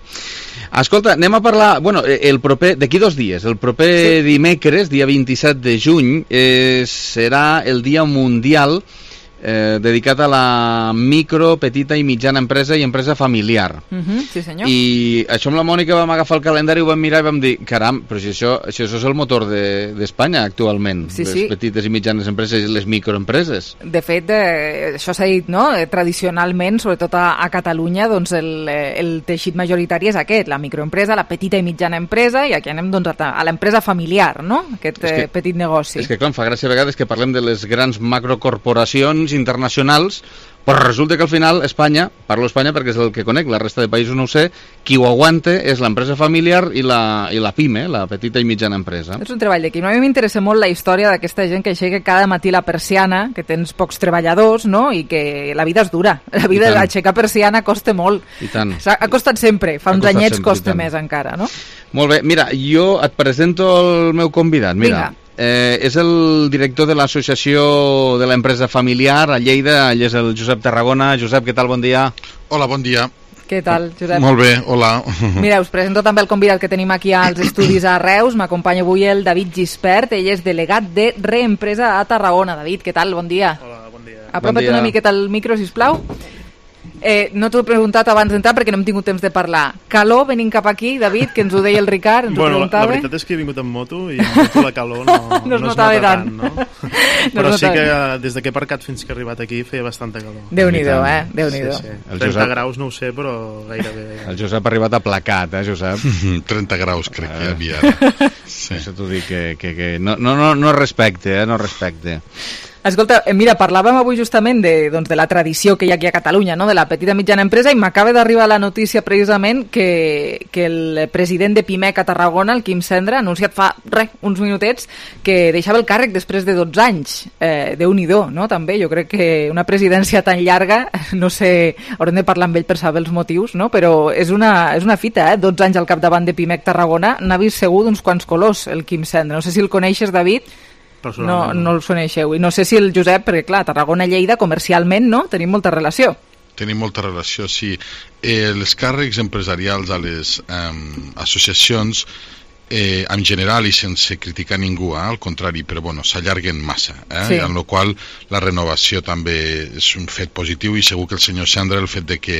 Escolta, anem a parlar, d'aquí 2 dies, el proper dimecres, dia 27 de juny, serà el Dia Mundial dedicat a la micro, petita i mitjana empresa i empresa familiar. Sí, senyor. I això amb la Mònica vam agafar el calendari, ho vam mirar i vam dir, caram, però si això és el motor d'Espanya actualment, les petites i mitjanes empreses i les microempreses. De fet, això s'ha dit, no? Tradicionalment, sobretot a Catalunya, doncs el teixit majoritari és aquest, la microempresa, la petita i mitjana empresa, i aquí anem a l'empresa familiar, no? Aquest petit negoci. És que clar, em fa gràcia a vegades que parlem de les grans macrocorporacions internacionals, però resulta que al final parlo Espanya perquè és el que conec, la resta de països no ho sé, qui ho aguanta és l'empresa familiar i la PIME, la petita i mitjana empresa. És un treball d'equip. A mi m'interessa molt la història d'aquesta gent que aixeca cada matí la persiana, que tens pocs treballadors, no? I que la vida és dura. La vida d'aixecar persiana costa molt. I tant. Ha costat sempre, fa uns anyets costa més encara, no? Molt bé, mira, jo et presento el meu convidat, mira. Vinga. És el director de l'associació de l'empresa familiar a Lleida, ell és el Josep Tarragona. Josep, què tal? Bon dia. Hola, bon dia. Què tal, Josep? Molt bé, hola. Mira, us presento també el convidat que tenim aquí als estudis a Reus. M'acompanya avui el David Gispert, ell és delegat de Reempresa a Tarragona. David, què tal? Bon dia. Hola, bon dia. Apropa't una miqueta al micro, sisplau. No t'ho he preguntat abans d'entrar perquè no hem tingut temps de parlar. Calor venint cap aquí, David, que ens ho deia el Ricard, ens ho preguntava. La veritat és que he vingut en moto i en moto la calor no es nota tant, no? Però sí que des que he aparcat fins que he arribat aquí feia bastanta calor. Déu-n'hi-do, Déu-n'hi-do. Sí. 30 graus no ho sé, però gairebé. El Josep ha arribat aplacat, Josep? 30 graus crec que hi havia ara. Sí. Això t'ho dic que no respecte, no respecte. Escolta, mira, parlàvem avui justament de la tradició que hi ha aquí a Catalunya, no? De la petita i mitjana empresa, i m'acaba d'arribar la notícia precisament que el president de Pimec a Tarragona, el Quim Cendra, ha anunciat fa uns minutets que deixava el càrrec després de 12 anys. Déu-n'hi-do, no? També, jo crec que una presidència tan llarga, no sé, haurem de parlar amb ell per saber els motius, no? Però és una fita, 12 anys al capdavant de Pimec Tarragona, n'ha vist segur d'uns quants colors, el Quim Cendra. No sé si el coneixes, David. No el coneixeu. I no sé si el Josep, perquè clar, Tarragona i Lleida comercialment, no? Tenim molta relació. Tenim molta relació, sí. Els càrrecs empresarials a les associacions en general i sense criticar ningú, al contrari, però bueno, s'allarguen massa, sí. En la qual la renovació també és un fet positiu i segur que el senyor Cendra, el fet de que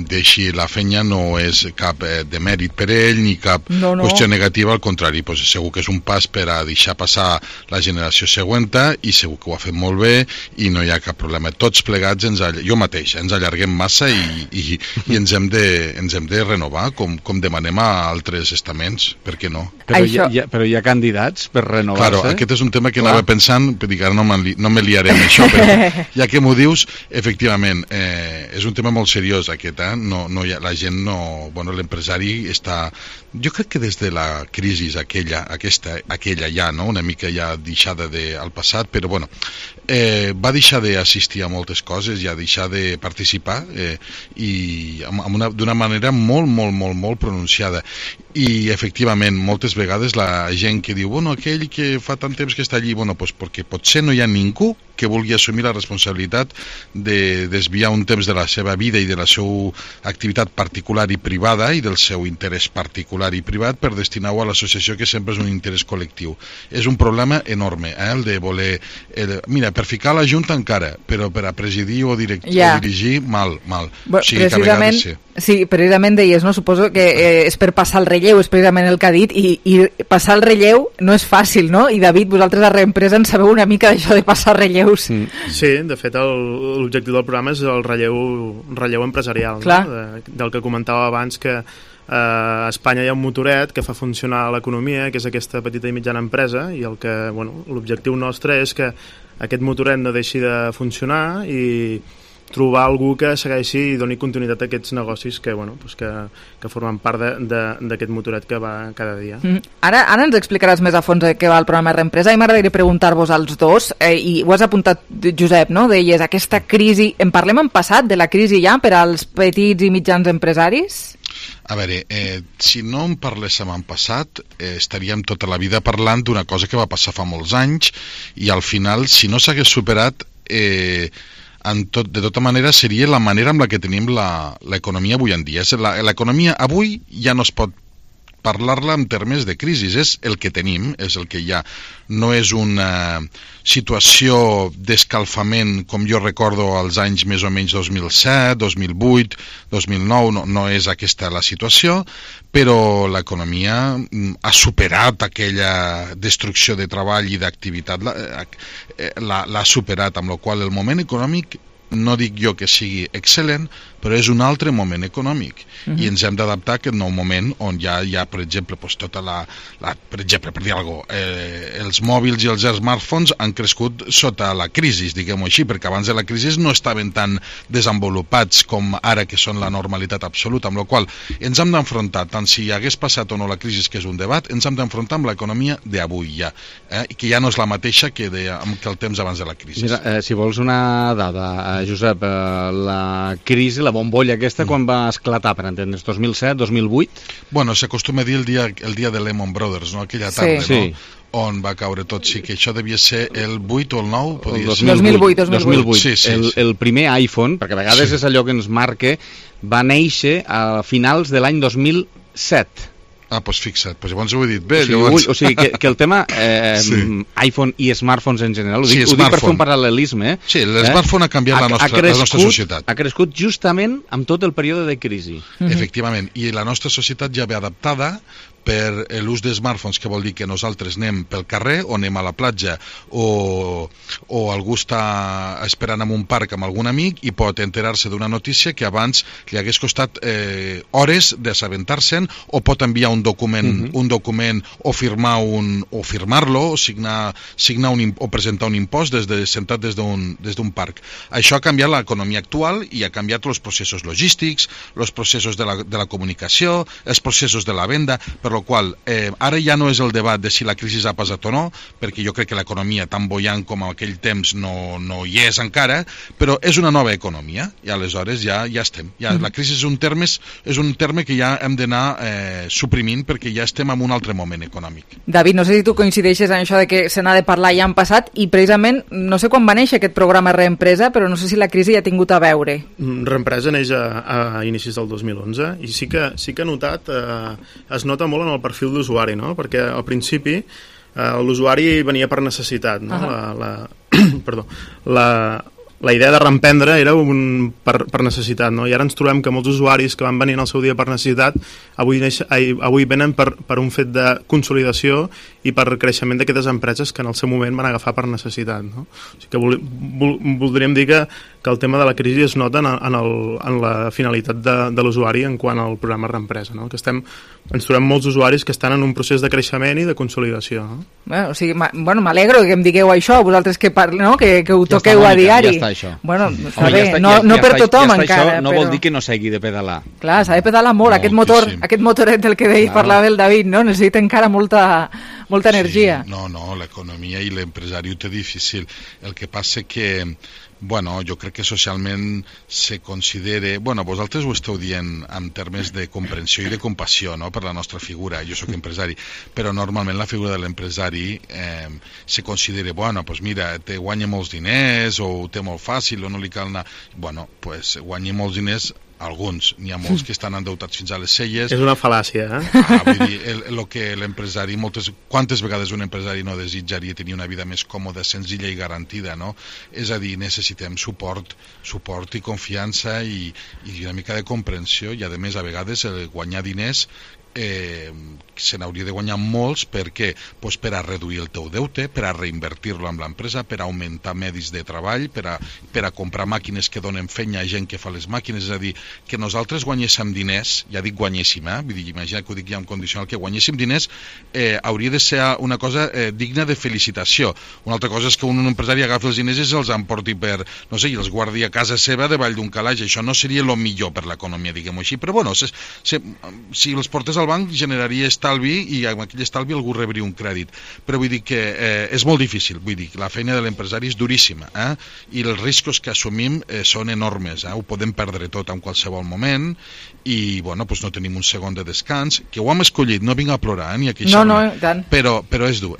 deixi la feina no és cap demèrit per ell ni cap qüestió negativa, al contrari, pues segur que és un pas per a deixar passar la generació següent i segur que ho ha fet molt bé i no hi ha cap problema. Tots plegats, jo mateix, ens allarguem massa i ens hem de renovar com demanem a altres estaments, per què no? Però hi ha candidats per renovar-se? Claro, aquest és un tema que anava pensant, dic, ara no me liaré amb això, però ja que m'ho dius, efectivament, és un tema molt seriós aquest, la gent no... Bueno, l'empresari està... Jo crec que des de la crisi aquella ja, no? Una mica ja deixada al passat, però bueno, va deixar d'assistir a moltes coses, ja deixar de participar i d'una manera molt pronunciada. I efectivament, moltes vegades la gent que diu, bueno, aquell que fa tant temps que està allí, bueno, pues perquè potser no hi ha ningú que vulgui assumir la responsabilitat de desviar un temps de la seva vida i de la seva activitat particular i privada i del seu interès particular salari privat per destinar-ho a l'associació, que sempre és un interès col·lectiu. És un problema enorme, el de voler... mira, per ficar la Junta encara, però per a presidir o dirigir, mal. Bueno, precisament, sí, precisament deies, no? Suposo que és per passar el relleu, és precisament el que ha dit, i passar el relleu no és fàcil, no? I David, vosaltres a Reempresa en sabeu una mica d'això de passar relleus. Sí, de fet l'objectiu del programa és el relleu empresarial, no? Del que comentava abans, que a Espanya hi ha un motoret que fa funcionar l'economia, que és aquesta petita i mitjana empresa, i l'objectiu nostre és que aquest motoret no deixi de funcionar i trobar algú que segueixi i doni continuïtat a aquests negocis que formen part d'aquest motoret que va cada dia. Ara ens explicaràs més a fons de què va el programa Reempresa, i m'agradaria preguntar-vos als dos, i ho has apuntat, Josep, no? Deies, aquesta crisi, en parlem en passat de la crisi ja per als petits i mitjans empresaris? A veure, si no en parléssim en passat, estaríem tota la vida parlant d'una cosa que va passar fa molts anys, i al final, si no s'hagués superat, de tota manera seria la manera amb la que tenim l'economia avui en dia. L'economia avui ja no es pot parlar-la en termes de crisi, és el que tenim, és el que hi ha. No és una situació d'escalfament com jo recordo als anys més o menys 2007, 2008, 2009, no és aquesta la situació, però l'economia ha superat aquella destrucció de treball i d'activitat, l'ha superat, amb la qual cosa el moment econòmic, no dic jo que sigui excel·lent, però és un altre moment econòmic, i ens hem d'adaptar a aquest nou moment on ja hi ha, per exemple, tota per exemple, per dir alguna cosa, els mòbils i els smartphones han crescut sota la crisi, diguem-ho així, perquè abans de la crisi no estaven tan desenvolupats com ara, que són la normalitat absoluta, amb la qual ens hem d'enfrontar, tant si hagués passat o no la crisi, que és un debat, ens hem d'enfrontar amb l'economia d'avui ja, que ja no és la mateixa que el temps abans de la crisi. Mira, si vols una dada, Josep, la crisi, la bombolla aquesta, quan va esclatar, per entendre's, 2007, 2008? Bueno, s'acostuma a dir el dia de Lehman Brothers, no? Aquella tarda, no? On va caure tot. Sí, que això devia ser el 8 o el 9? El 2008. Sí. El primer iPhone, perquè a vegades és allò que ens marca, va néixer a finals de l'any 2007. Ah, doncs fixa't, llavors ho he dit bé. O sigui que el tema iPhone i smartphones en general, ho dic per fer un paral·lelisme. Sí, l'smartphone ha canviat la nostra societat. Ha crescut justament amb tot el període de crisi. Efectivament, i la nostra societat ja ve adaptada per l'ús de smartphones, que vol dir que nosaltres anem pel carrer o anem a la platja o algú està esperant en un parc amb algun amic i pot enterar-se d'una notícia que abans li hagués costat hores d'assabentar-se'n, o pot enviar un document o firmar-lo o signar o presentar un impost sentat des d'un parc. Això ha canviat l'economia actual i ha canviat els processos logístics, els processos de la comunicació, els processos de la venda, per la qual ara ja no és el debat de si la crisi ha passat o no, perquè jo crec que l'economia tan bollant com en aquell temps no hi és encara, però és una nova economia, i aleshores ja estem. La crisi és un terme que ja hem d'anar suprimint, perquè ja estem en un altre moment econòmic. David, no sé si tu coincideixes en això de que se n'ha de parlar ja en passat, i precisament, no sé quan va néixer aquest programa Reempresa, però no sé si la crisi hi ha tingut a veure. Reempresa neix a inicis del 2011, i sí que ha notat, es nota molt en el perfil d'usuari, no? Perquè al principi l'usuari venia per necessitat, no? La idea de reemprendre era per necessitat, no? I ara ens trobem que molts usuaris que van venir en el seu dia per necessitat avui venen per un fet de consolidació i per creixement d'aquestes empreses que en el seu moment van agafar per necessitat, no? O sigui que voldríem dir que el tema de la crisi es nota en la finalitat de l'usuari en quant al programa Reempresa, no? Que ens trobem molts usuaris que estan en un procés de creixement i de consolidació, no? O sigui, m'alegro que em digueu això, vosaltres que ho toqueu a diari. Ja està això. Bueno, està bé, no per tothom encara. Això no vol dir que no s'hagi de pedalar. Clar, s'ha de pedalar molt. Aquest motoret del que parlava el David, no? Necessita encara molta energia. No, l'economia i l'empresari ho té difícil. El que passa que jo crec que socialment se considera... vosaltres ho esteu dient en termes de comprensió i de compassió, no?, per la nostra figura. Jo sóc empresari, però normalment la figura de l'empresari se considera, mira, guanya molts diners o ho té molt fàcil o no li cal anar... guanya molts diners alguns, n'hi ha molts que estan endeutats fins a les celles. És una fal·làcia, Vull dir, el que l'empresari, quantes vegades un empresari no desitjaria tenir una vida més còmoda, senzilla i garantida, no? És a dir, necessitem suport i confiança i una mica de comprensió, i a més a vegades guanyar diners se n'hauria de guanyar molts. Per què? Pues per a reduir el teu deute, per a reinvertir-lo amb l'empresa, per a augmentar medis de treball, per a comprar màquines que donen feina a gent que fa les màquines. És a dir, que nosaltres guanyéssim diners, ja dic guanyéssim, vull dir, imagina que ho dic ja en condicional, que guanyéssim diners hauria de ser una cosa digna de felicitació. Una altra cosa és que un empresari agafi els diners i se'ls emporti per, no sé, i els guardi a casa seva davall d'un calaix. Això no seria el millor per l'economia, diguem-ho així, però bueno, si els portes al banc generaria estalvi i amb aquell estalvi algú rebria un crèdit, però vull dir que és molt difícil, vull dir que la feina de l'empresari és duríssima, i els riscos que assumim són enormes, ho podem perdre tot en qualsevol moment i bueno, doncs no tenim un segon de descans, que ho hem escollit, no vinc a plorar ni a queixar-me, però és dur.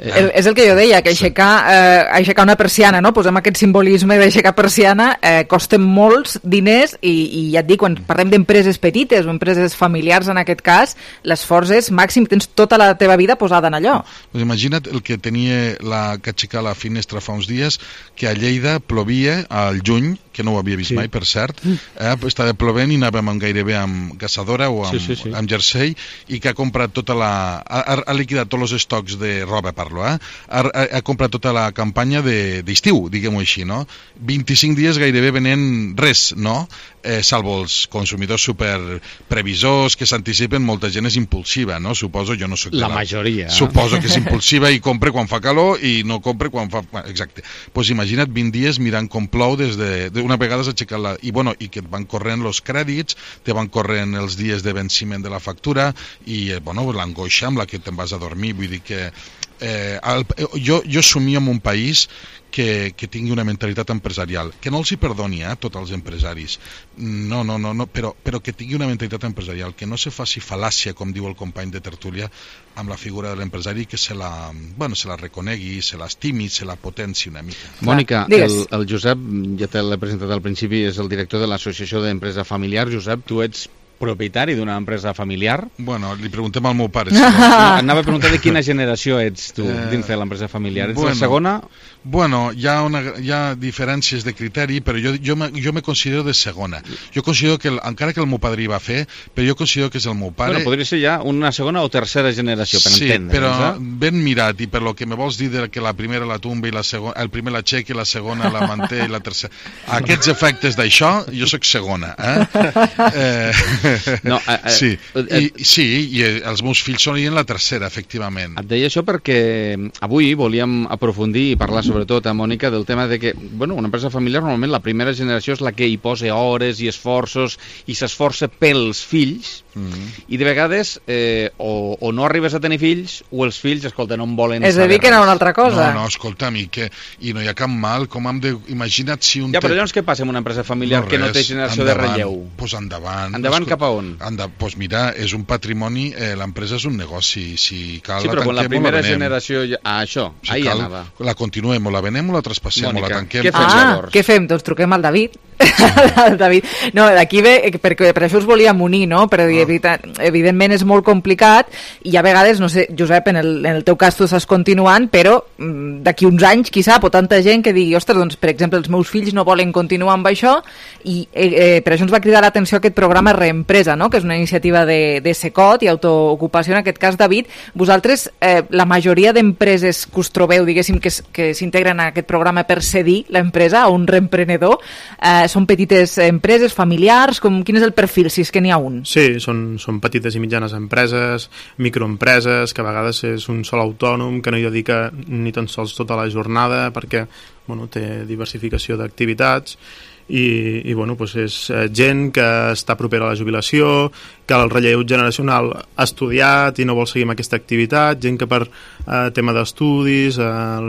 És el que jo deia, que aixecar una persiana, no? Posem aquest simbolisme d'aixecar persiana, costa molts diners i ja et dic, quan parlem d'empreses petites o empreses familiars en aquest cas, l'esforç és màxim, tens tota la teva vida posada en allò. Pues imagina't el que tenia que aixecar la finestra fa uns dies, que a Lleida plovia al juny, que no ho havia vist mai, per cert, estava plovent i anàvem gairebé amb gassadora o amb jersei, i que ha comprat ha liquidat tots els estocs de roba, ha comprat tota la campanya d'estiu, diguem-ho així, no? 25 dies gairebé venent res, no? Salvo els consumidors superprevisors que s'anticipen, molta gent és impulsiva, no? Suposo, jo no soc la majoria. Suposo que és impulsiva i compra quan fa calor i no compra quan fa... Exacte. Doncs imagina't 20 dies mirant com plou des d'una vegada s'ha aixecat i que et van corrent els crèdits, te van corrent els dies de venciment de la factura i l'angoixa amb la que te'n vas a dormir. Vull dir que jo somio en un país que tingui una mentalitat empresarial, que no els hi perdoni a tots els empresaris, no, però que tingui una mentalitat empresarial, que no se faci fal·làcia, com diu el company de tertúlia, amb la figura de l'empresari, que se la reconegui, se l'estimi, se la potenci una mica. Mònica, el Josep, ja te l'he presentat al principi, és el director de l'Associació d'Empresa Familiar. Josep, tu ets propietari d'una empresa familiar? Bueno, li preguntem al meu pare. Anava a preguntar de quina generació ets tu dins de l'empresa familiar. Ets la segona? Bueno, hi ha diferències de criteri, però jo me considero de segona. Jo considero que, encara que el meu padrí va fer, però jo considero que és el meu pare... Bueno, podria ser ja una segona o tercera generació, per entendre. Sí, però ben mirat, i per lo que me vols dir que la primera la tumba i la segona, el primer la aixeca i la segona la manté i la tercera... Aquests efectes d'això, jo sóc segona, Sí, i els meus fills són en la tercera, efectivament. Et deia això perquè avui volíem aprofundir i parlar sobretot a Mònica del tema de que, bueno, una empresa familiar normalment la primera generació és la que hi posa hores i esforços i s'esforça pels fills i de vegades o no arribes a tenir fills o els fills, escolta, no en volen és a dir que no una altra cosa. No, escolta'm, i no hi ha cap mal, com hem de... Imagina't si un... Ja, però llavors què passa amb una empresa familiar que no té generació de relleu? Doncs endavant. Endavant cap a on? Doncs mira, és un patrimoni, l'empresa és un negoci, si cal la tanquem o la venem. Sí, però quan la primera generació... això, ahí anava. La continuem, o la venem o la traspassem, o la tanquem. Què fem llavors? Què fem? Doncs truquem al David. El David. No, d'aquí ve, perquè per això us volíem unir, no? Però evidentment és molt complicat i a vegades, no sé, Josep, en el teu cas tu estàs continuant, però d'aquí uns anys, qui sap, o tanta gent que digui, ostres, doncs, per exemple, els meus fills no volen continuar amb això i per això ens va cridar l'atenció aquest programa Reempresa, no? Que és una iniciativa de Secot i autoocupació, en aquest cas, David. Vosaltres, la majoria d'empreses que us trobeu, diguéssim, que s'integren a aquest programa per cedir l'empresa a un reemprenedor, són petites empreses, familiars, quin és el perfil, si és que n'hi ha un? Sí, són petites i mitjanes empreses, microempreses, que a vegades és un sol autònom, que no hi dedica ni tan sols tota la jornada, perquè té diversificació d'activitats, i bueno, doncs és gent que està propera a la jubilació que el relleu generacional ha estudiat i no vol seguir amb aquesta activitat, gent que per tema d'estudis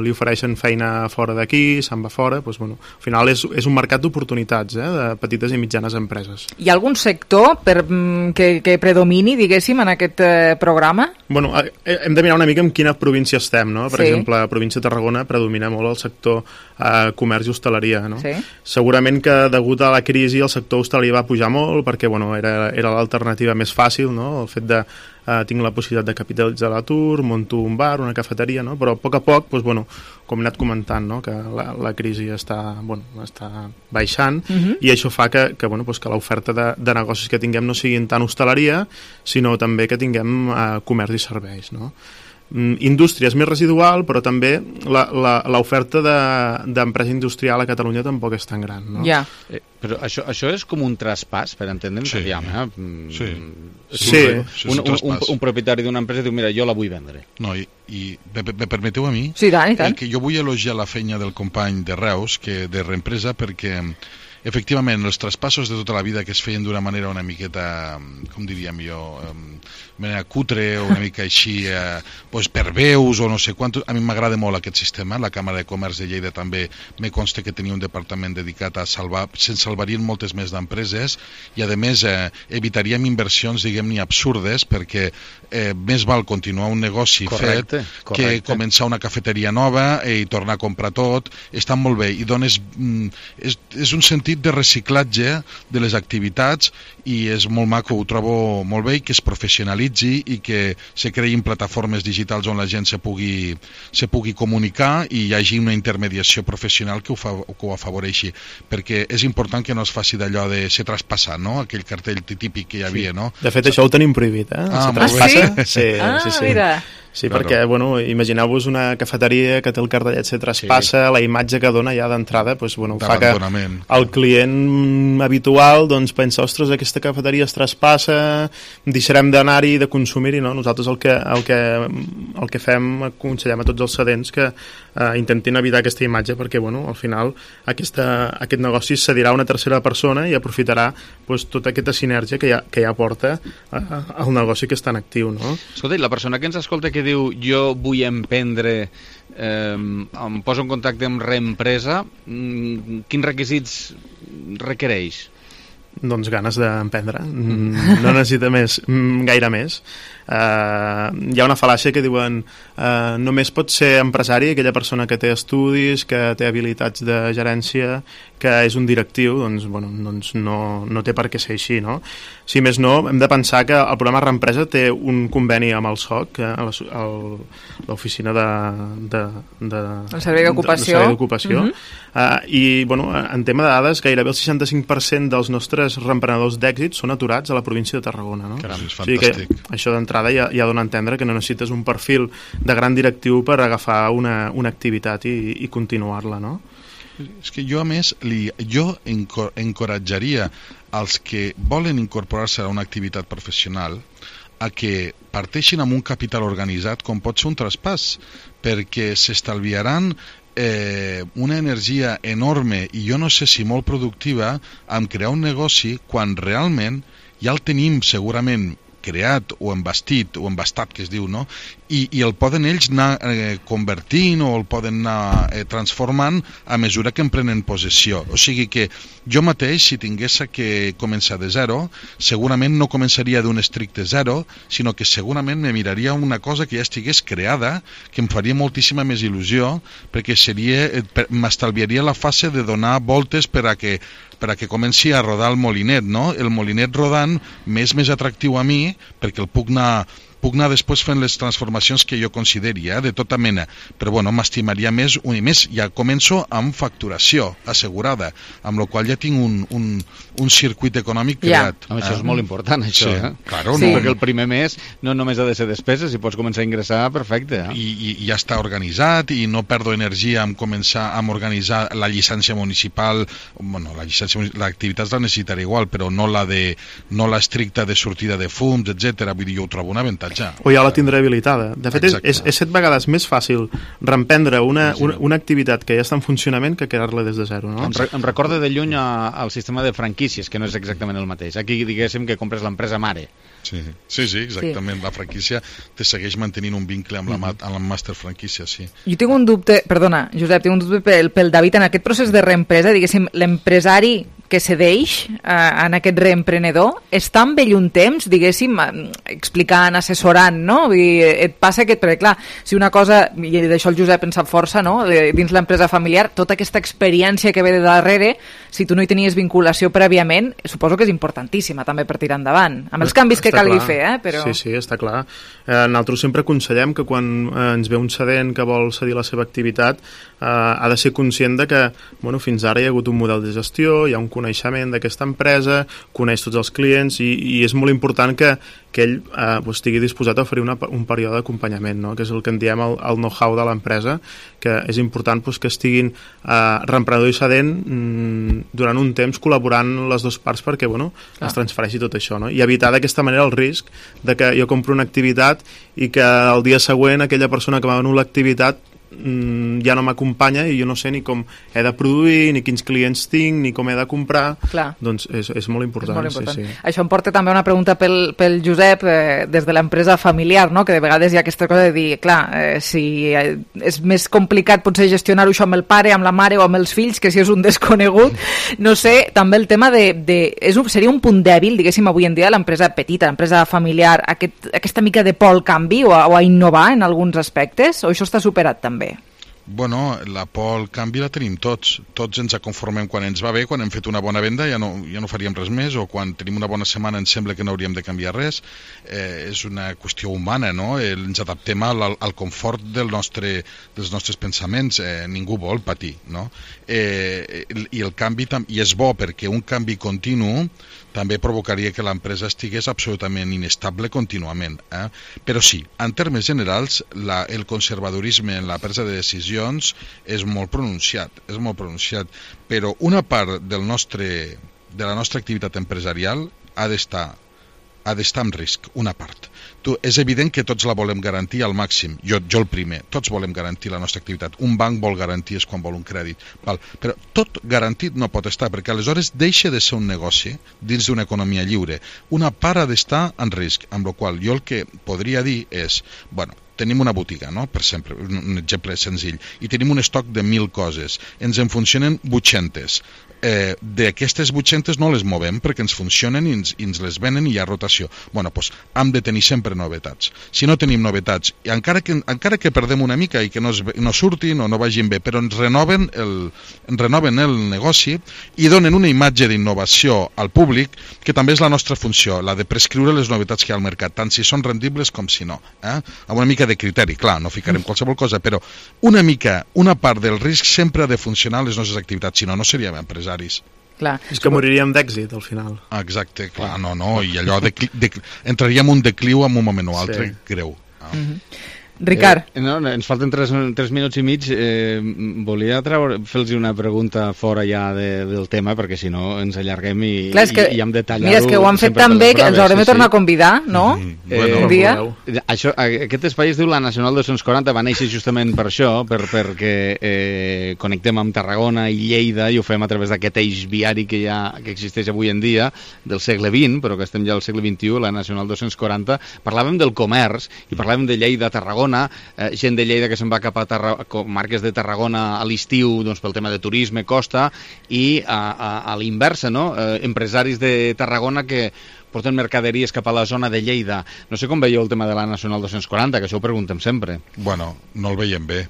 li ofereixen feina fora d'aquí, se'n va fora, doncs, bueno, al final és un mercat d'oportunitats de petites i mitjanes empreses. Hi ha algun sector que predomini, diguéssim, en aquest programa? Bueno, hem de mirar una mica en quina província estem, no? Per exemple, a la província de Tarragona predomina molt el sector comerç i hostaleria, no? Sí. Segurament que degut a la crisi el sector hostaleria va pujar molt perquè bueno, era l'alternativa més fàcil, no? El fet de tinc la possibilitat de capitalitzar l'atur, monto un bar, una cafeteria, no? Però a poc, doncs, bueno, com he anat comentant, no? Que la crisi està baixant i això fa que l'oferta de negocis que tinguem no siguin tant hostaleria, sinó també que tinguem comerç i serveis, no? Indústria és més residual, però també l'oferta d'empresa industrial a Catalunya tampoc és tan gran, no? Ja. Però això és com un traspàs, per entendre'ns, un propietari d'una empresa diu, mira, jo la vull vendre. No, i me permeteu a mi? Sí, i tant. Que jo vull elogiar la feina del company de Reus, de Reempresa, perquè efectivament els traspassos de tota la vida que es feien d'una manera una miqueta, com diríem jo, manera cutre o una mica així per veus o no sé quant, a mi m'agrada molt aquest sistema. La Càmera de Comerç de Lleida també me consta que tenia un departament dedicat a salvar, se'n salvarien moltes més d'empreses i a més evitaríem inversions diguem-ne absurdes perquè més val continuar un negoci fet que començar una cafeteria nova i tornar a comprar tot. Està molt bé i dones és un sentit de reciclatge de les activitats i és molt maco, ho trobo molt bé i que es professionalitzi i que se creïn plataformes digitals on la gent se pugui comunicar i hi hagi una intermediació professional que ho afavoreixi, perquè és important que no es faci d'allò de ser traspassat, no? Aquell cartell típic que hi havia, no? De fet, això ho tenim prohibit, Sí? Sí. Mira. Sí, perquè, bueno, imagineu-vos una cafeteria que té el cartellet se traspassa, la imatge que dona ja d'entrada, doncs, bueno, fa que el client habitual doncs, pensa, ostres, aquesta cafeteria es traspassa, deixarem d'anar-hi, de consumir-hi, no? Nosaltres el que fem, aconsellem a tots els cedents que intentin evitar aquesta imatge perquè, bueno, al final aquest negoci cedirà a una tercera persona i aprofitarà doncs, tota aquesta sinergia que ja porta al negoci que està en actiu, no? Escolta, la persona que ens escolta que diu jo vull emprendre, em poso en contacte amb Reempresa, quins requisits requereix? Doncs ganes d'emprendre, no necessita gaire més. Hi ha una fal·làcia que diuen només pot ser empresari aquella persona que té estudis, que té habilitats de gerència, que és un directiu, doncs no té per què ser així, no? Si més no, hem de pensar que el programa Reempresa té un conveni amb el SOC, l'oficina el Servei d'Ocupació, i en tema de dades gairebé el 65% dels nostres reemprenedors d'èxit són aturats a la província de Tarragona, no? Caram, és fantàstic. O sigui que això d'entrada ja dona a entendre que no necessites un perfil de gran directiu per agafar una activitat i continuar-la, no? És que jo, a més, encoratjaria als que volen incorporar-se a una activitat professional a que parteixin amb un capital organitzat com pot ser un traspàs, perquè s'estalviaran una energia enorme i jo no sé si molt productiva en crear un negoci quan realment ja el tenim segurament creat o embastat, que es diu, no? I el poden ells anar convertint o el poden anar transformant a mesura que en prenen possessió. O sigui que jo mateix, si tingués que començar de zero, segurament no començaria d'un estricte zero, sinó que segurament me miraria una cosa que ja estigués creada, que em faria moltíssima més il·lusió, perquè m'estalviaria la fase de donar voltes per a que comenci a rodar el molinet, no? El molinet rodant m'és més atractiu a mi perquè el puc anar després fent les transformacions que jo consideri, de tota mena, però bueno, m'estimaria més, i més, ja començo amb facturació assegurada, amb la qual ja tinc un circuit econòmic creat. Això és molt important, això, Claro, perquè el primer mes no només ha de ser despeses, si pots començar a ingressar, perfecte. I ja està organitzat, i no perdo energia en començar a organitzar la llicència municipal, bueno, l'activitat la necessitaré igual, però no la estricta de sortida de fums, etc. Vull dir, jo ho trobo un avantatge. marxa. O ja la tindré habilitada. De fet, és 7 vegades més fàcil reemprendre una activitat que ja està en funcionament que crear-la des de zero, no? Em recorda de lluny al sistema de franquícies, que no és exactament el mateix. Aquí diguéssim que compres l'empresa mare. Sí, exactament. La franquícia te segueix mantenint un vincle amb la master franquícia, sí. Jo tinc un dubte, perdona, Josep, tinc un dubte pel David, en aquest procés de reempresa, diguéssim, l'empresari que cedeix en aquest reemprenedor està amb ell un temps, diguéssim, explicant, assessorant, no? I et passa que, perquè clar, si una cosa, i d'això el Josep en sap força, no? Dins l'empresa familiar, tota aquesta experiència que ve de darrere, si tu no hi tenies vinculació prèviament, suposo que és importantíssima també per tirar endavant, amb els canvis que calgui fer, però... Sí, està clar. Nosaltres sempre aconsellem que quan ens ve un cedent que vol cedir la seva activitat ha de ser conscient de que fins ara hi ha hagut un model de gestió, hi ha un coneixement d'aquesta empresa, coneix tots els clients i és molt important que ell estigui disposat a oferir un període d'acompanyament, no? Que és el que en diem el know-how de l'empresa, que és important que estiguin reemprenedor i cedent durant un temps col·laborant les dues parts perquè es transfereixi tot això, no? I evitar d'aquesta manera el risc de que jo compro una activitat i que el dia següent aquella persona que m'ha venut l'activitat ja no m'acompanya i jo no sé ni com he de produir, ni quins clients tinc, ni com he de comprar. Clar. Doncs és molt important. Sí. Això em porta també a una pregunta pel Josep des de l'empresa familiar, no? Que de vegades hi ha aquesta cosa de dir, clar, si és més complicat potser gestionar-ho això amb el pare, amb la mare o amb els fills que si és un desconegut, no sé, també el tema seria un punt dèbil, diguéssim, avui en dia l'empresa petita, l'empresa familiar, aquesta mica de por al canvi o a innovar en alguns aspectes, o això està superat també? Bueno, la por al canvi la tenim tots. Tots ens conformem quan ens va bé, quan hem fet una bona venda ja no faríem res més, o quan tenim una bona setmana ens sembla que no hauríem de canviar res. És una qüestió humana, no? Ens adaptem al confort dels nostres pensaments. Ningú vol patir, no? I el canvi, i és bo perquè un canvi continu també provocaria que l'empresa estigués absolutament inestable contínuament. Però sí, en termes generals, el conservadorisme en la presa de decisions és molt pronunciat, però una part de la nostra activitat empresarial ha d'estar en risc, una part. És evident que tots la volem garantir al màxim, jo el primer, tots volem garantir la nostra activitat. Un banc vol garanties quan vol un crèdit, però tot garantit no pot estar, perquè aleshores deixa de ser un negoci dins d'una economia lliure. Una part ha d'estar en risc, amb la qual jo el que podria dir és, tenim una botiga, no? Per sempre, un exemple senzill, i tenim un estoc de 1.000 coses, ens en funcionen 800. D'aquestes 800 no les movem perquè ens funcionen i ens les venen i hi ha rotació. Doncs hem de tenir sempre novetats. Si no tenim novetats, i encara que perdem una mica i que no surtin o no vagin bé, però ens renoven el negoci i donen una imatge d'innovació al públic, que també és la nostra funció, la de prescriure les novetats que hi ha al mercat, tant si són rendibles com si no. Amb una mica de criteri, clar, no ficarem qualsevol cosa, però una part del risc sempre ha de funcionar en les nostres activitats, si no seríem empresaris. Clar. És que moriríem d'èxit al final. Exacte, clar, no, i allò entraríem un decliu en un moment o altre greu. Ricard. Ens falten 3 minuts i mig. Volia fer-los una pregunta fora ja del tema, perquè si no ens allarguem i hem de tallar-ho. Mira, és que ho han fet tan bé que ens haurem de tornar a convidar, no? Un dia. Aquest espai es diu la Nacional 240, va néixer justament per això, perquè connectem amb Tarragona i Lleida i ho fem a través d'aquest eix viari que existeix avui en dia, del segle XX, però que estem ja al segle XXI, la Nacional 240. Parlàvem del comerç i parlàvem de Lleida, Tarragona, gent de Lleida que se'n va cap a comarques de Tarragona a l'estiu pel tema de turisme, costa, i a l'inversa, no? Empresaris de Tarragona que porten mercaderies cap a la zona de Lleida. No sé com veieu el tema de la Nacional 240, que això ho preguntem sempre. No el veiem bé.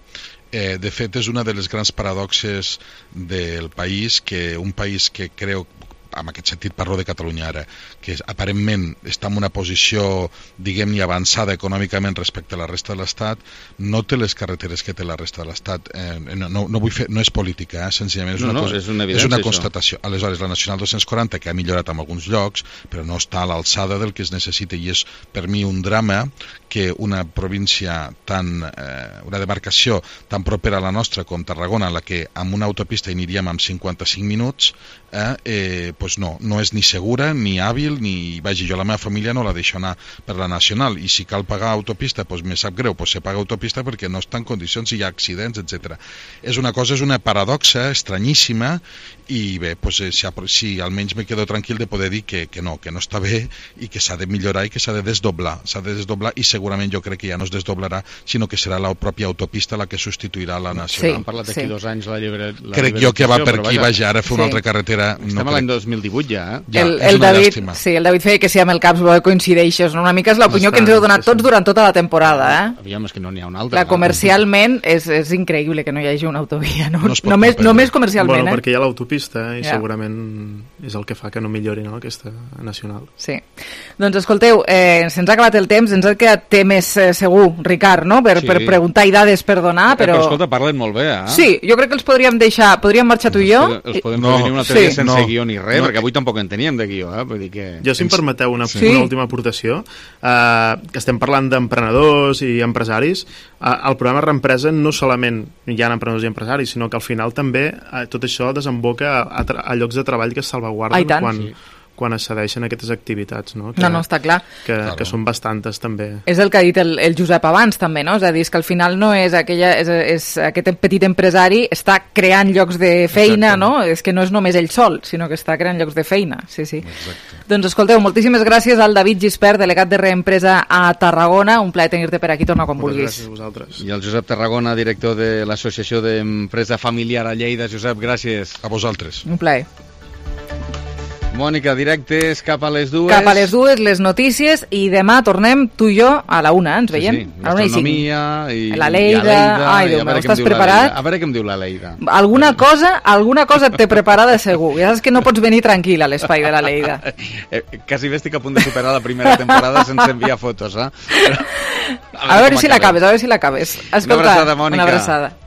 De fet, és una de les grans paradoxes del país, que un país que creu, en aquest sentit parlo de Catalunya ara, que aparentment està en una posició, diguem-ne, avançada econòmicament respecte a la resta de l'Estat, no té les carreteres que té la resta de l'Estat. No és política, senzillament és una constatació. Aleshores, la Nacional 240, que ha millorat en alguns llocs, però no està a l'alçada del que es necessita, i és per mi un drama que una província una demarcació tan propera a la nostra com Tarragona, en la que amb una autopista aniríem amb 55 minuts, pues no és ni segura, ni hàbil, ni... Vaja, jo la meva família no la deixo anar per la Nacional, i si cal pagar autopista, pues me sap greu, pues se paga autopista perquè no està en condicions, si hi ha accidents, etc. És una paradoxa estranyíssima, i bé, pues, si almenys me quedo tranquil de poder dir que no està bé, i que s'ha de millorar i que s'ha de desdoblar, i segurament jo crec que ja no es desdoblarà, sinó que serà la pròpia autopista la que substituirà la Nacional. Han parlat d'aquí 2 anys la crec jo que va per aquí, vaja, ara fer una altra carretera... Estem a l'any 2018 ja, El David feia que si amb el CAPS coincideixes, una mica és l'opinió que ens heu donat tots durant tota la temporada, Aviam, és que no n'hi ha una altra. Comercialment és increïble que no hi hagi una autovia, només comercialment. Bueno, perquè hi ha l'autopista i segurament és el que fa que no millori aquesta Nacional. Sí. Doncs escolteu, se'ns ha acabat el temps, ens ha quedat temes segur, Ricard, no? Per preguntar i dades per donar, però escolta, parlen molt bé, Sí, jo crec que els podríem deixar, podríem marxar tu i jo. Els podem tenir una teoria sense guió ni res, perquè avui tampoc en teníem de guió, vull dir que... Jo, si em permeteu una última aportació, que estem parlant d'emprenedors i empresaris, el programa Reempresa no solament hi ha emprenedors i empresaris, sinó que al final també tot això desemboca a llocs de treball que es salvaguarden quan es cedeixen aquestes activitats, no? No, està clar. Que són bastantes, també. És el que ha dit el Josep abans, també, no? És a dir, que al final no és aquest petit empresari està creant llocs de feina, no? És que no és només ell sol, sinó que està creant llocs de feina. Sí. Exacte. Doncs escolteu, moltíssimes gràcies al David Gispert, delegat de Reempresa a Tarragona. Un plaer tenir-te per aquí, torna quan vulguis. Gràcies a vosaltres. I el Josep Tarragona, director de l'Associació d'Empresa Familiar a Lleida. Josep, gràcies. A vosaltres. Un plaer. Mònica, directes cap a les 2. Cap a les 2, les notícies, i demà tornem tu i jo a la 1, ens veiem? Sí, gastronomia i la Leida. Ai, Déu meu, estàs preparat? A veure què em diu la Leida. Alguna cosa et té preparada segur. Ja saps que no pots venir tranquil a l'espai de la Leida. Quasi bé estic a punt de superar la primera temporada sense enviar fotos, A veure si l'acabes, Escolta, una abraçada, Mònica. Una abraçada.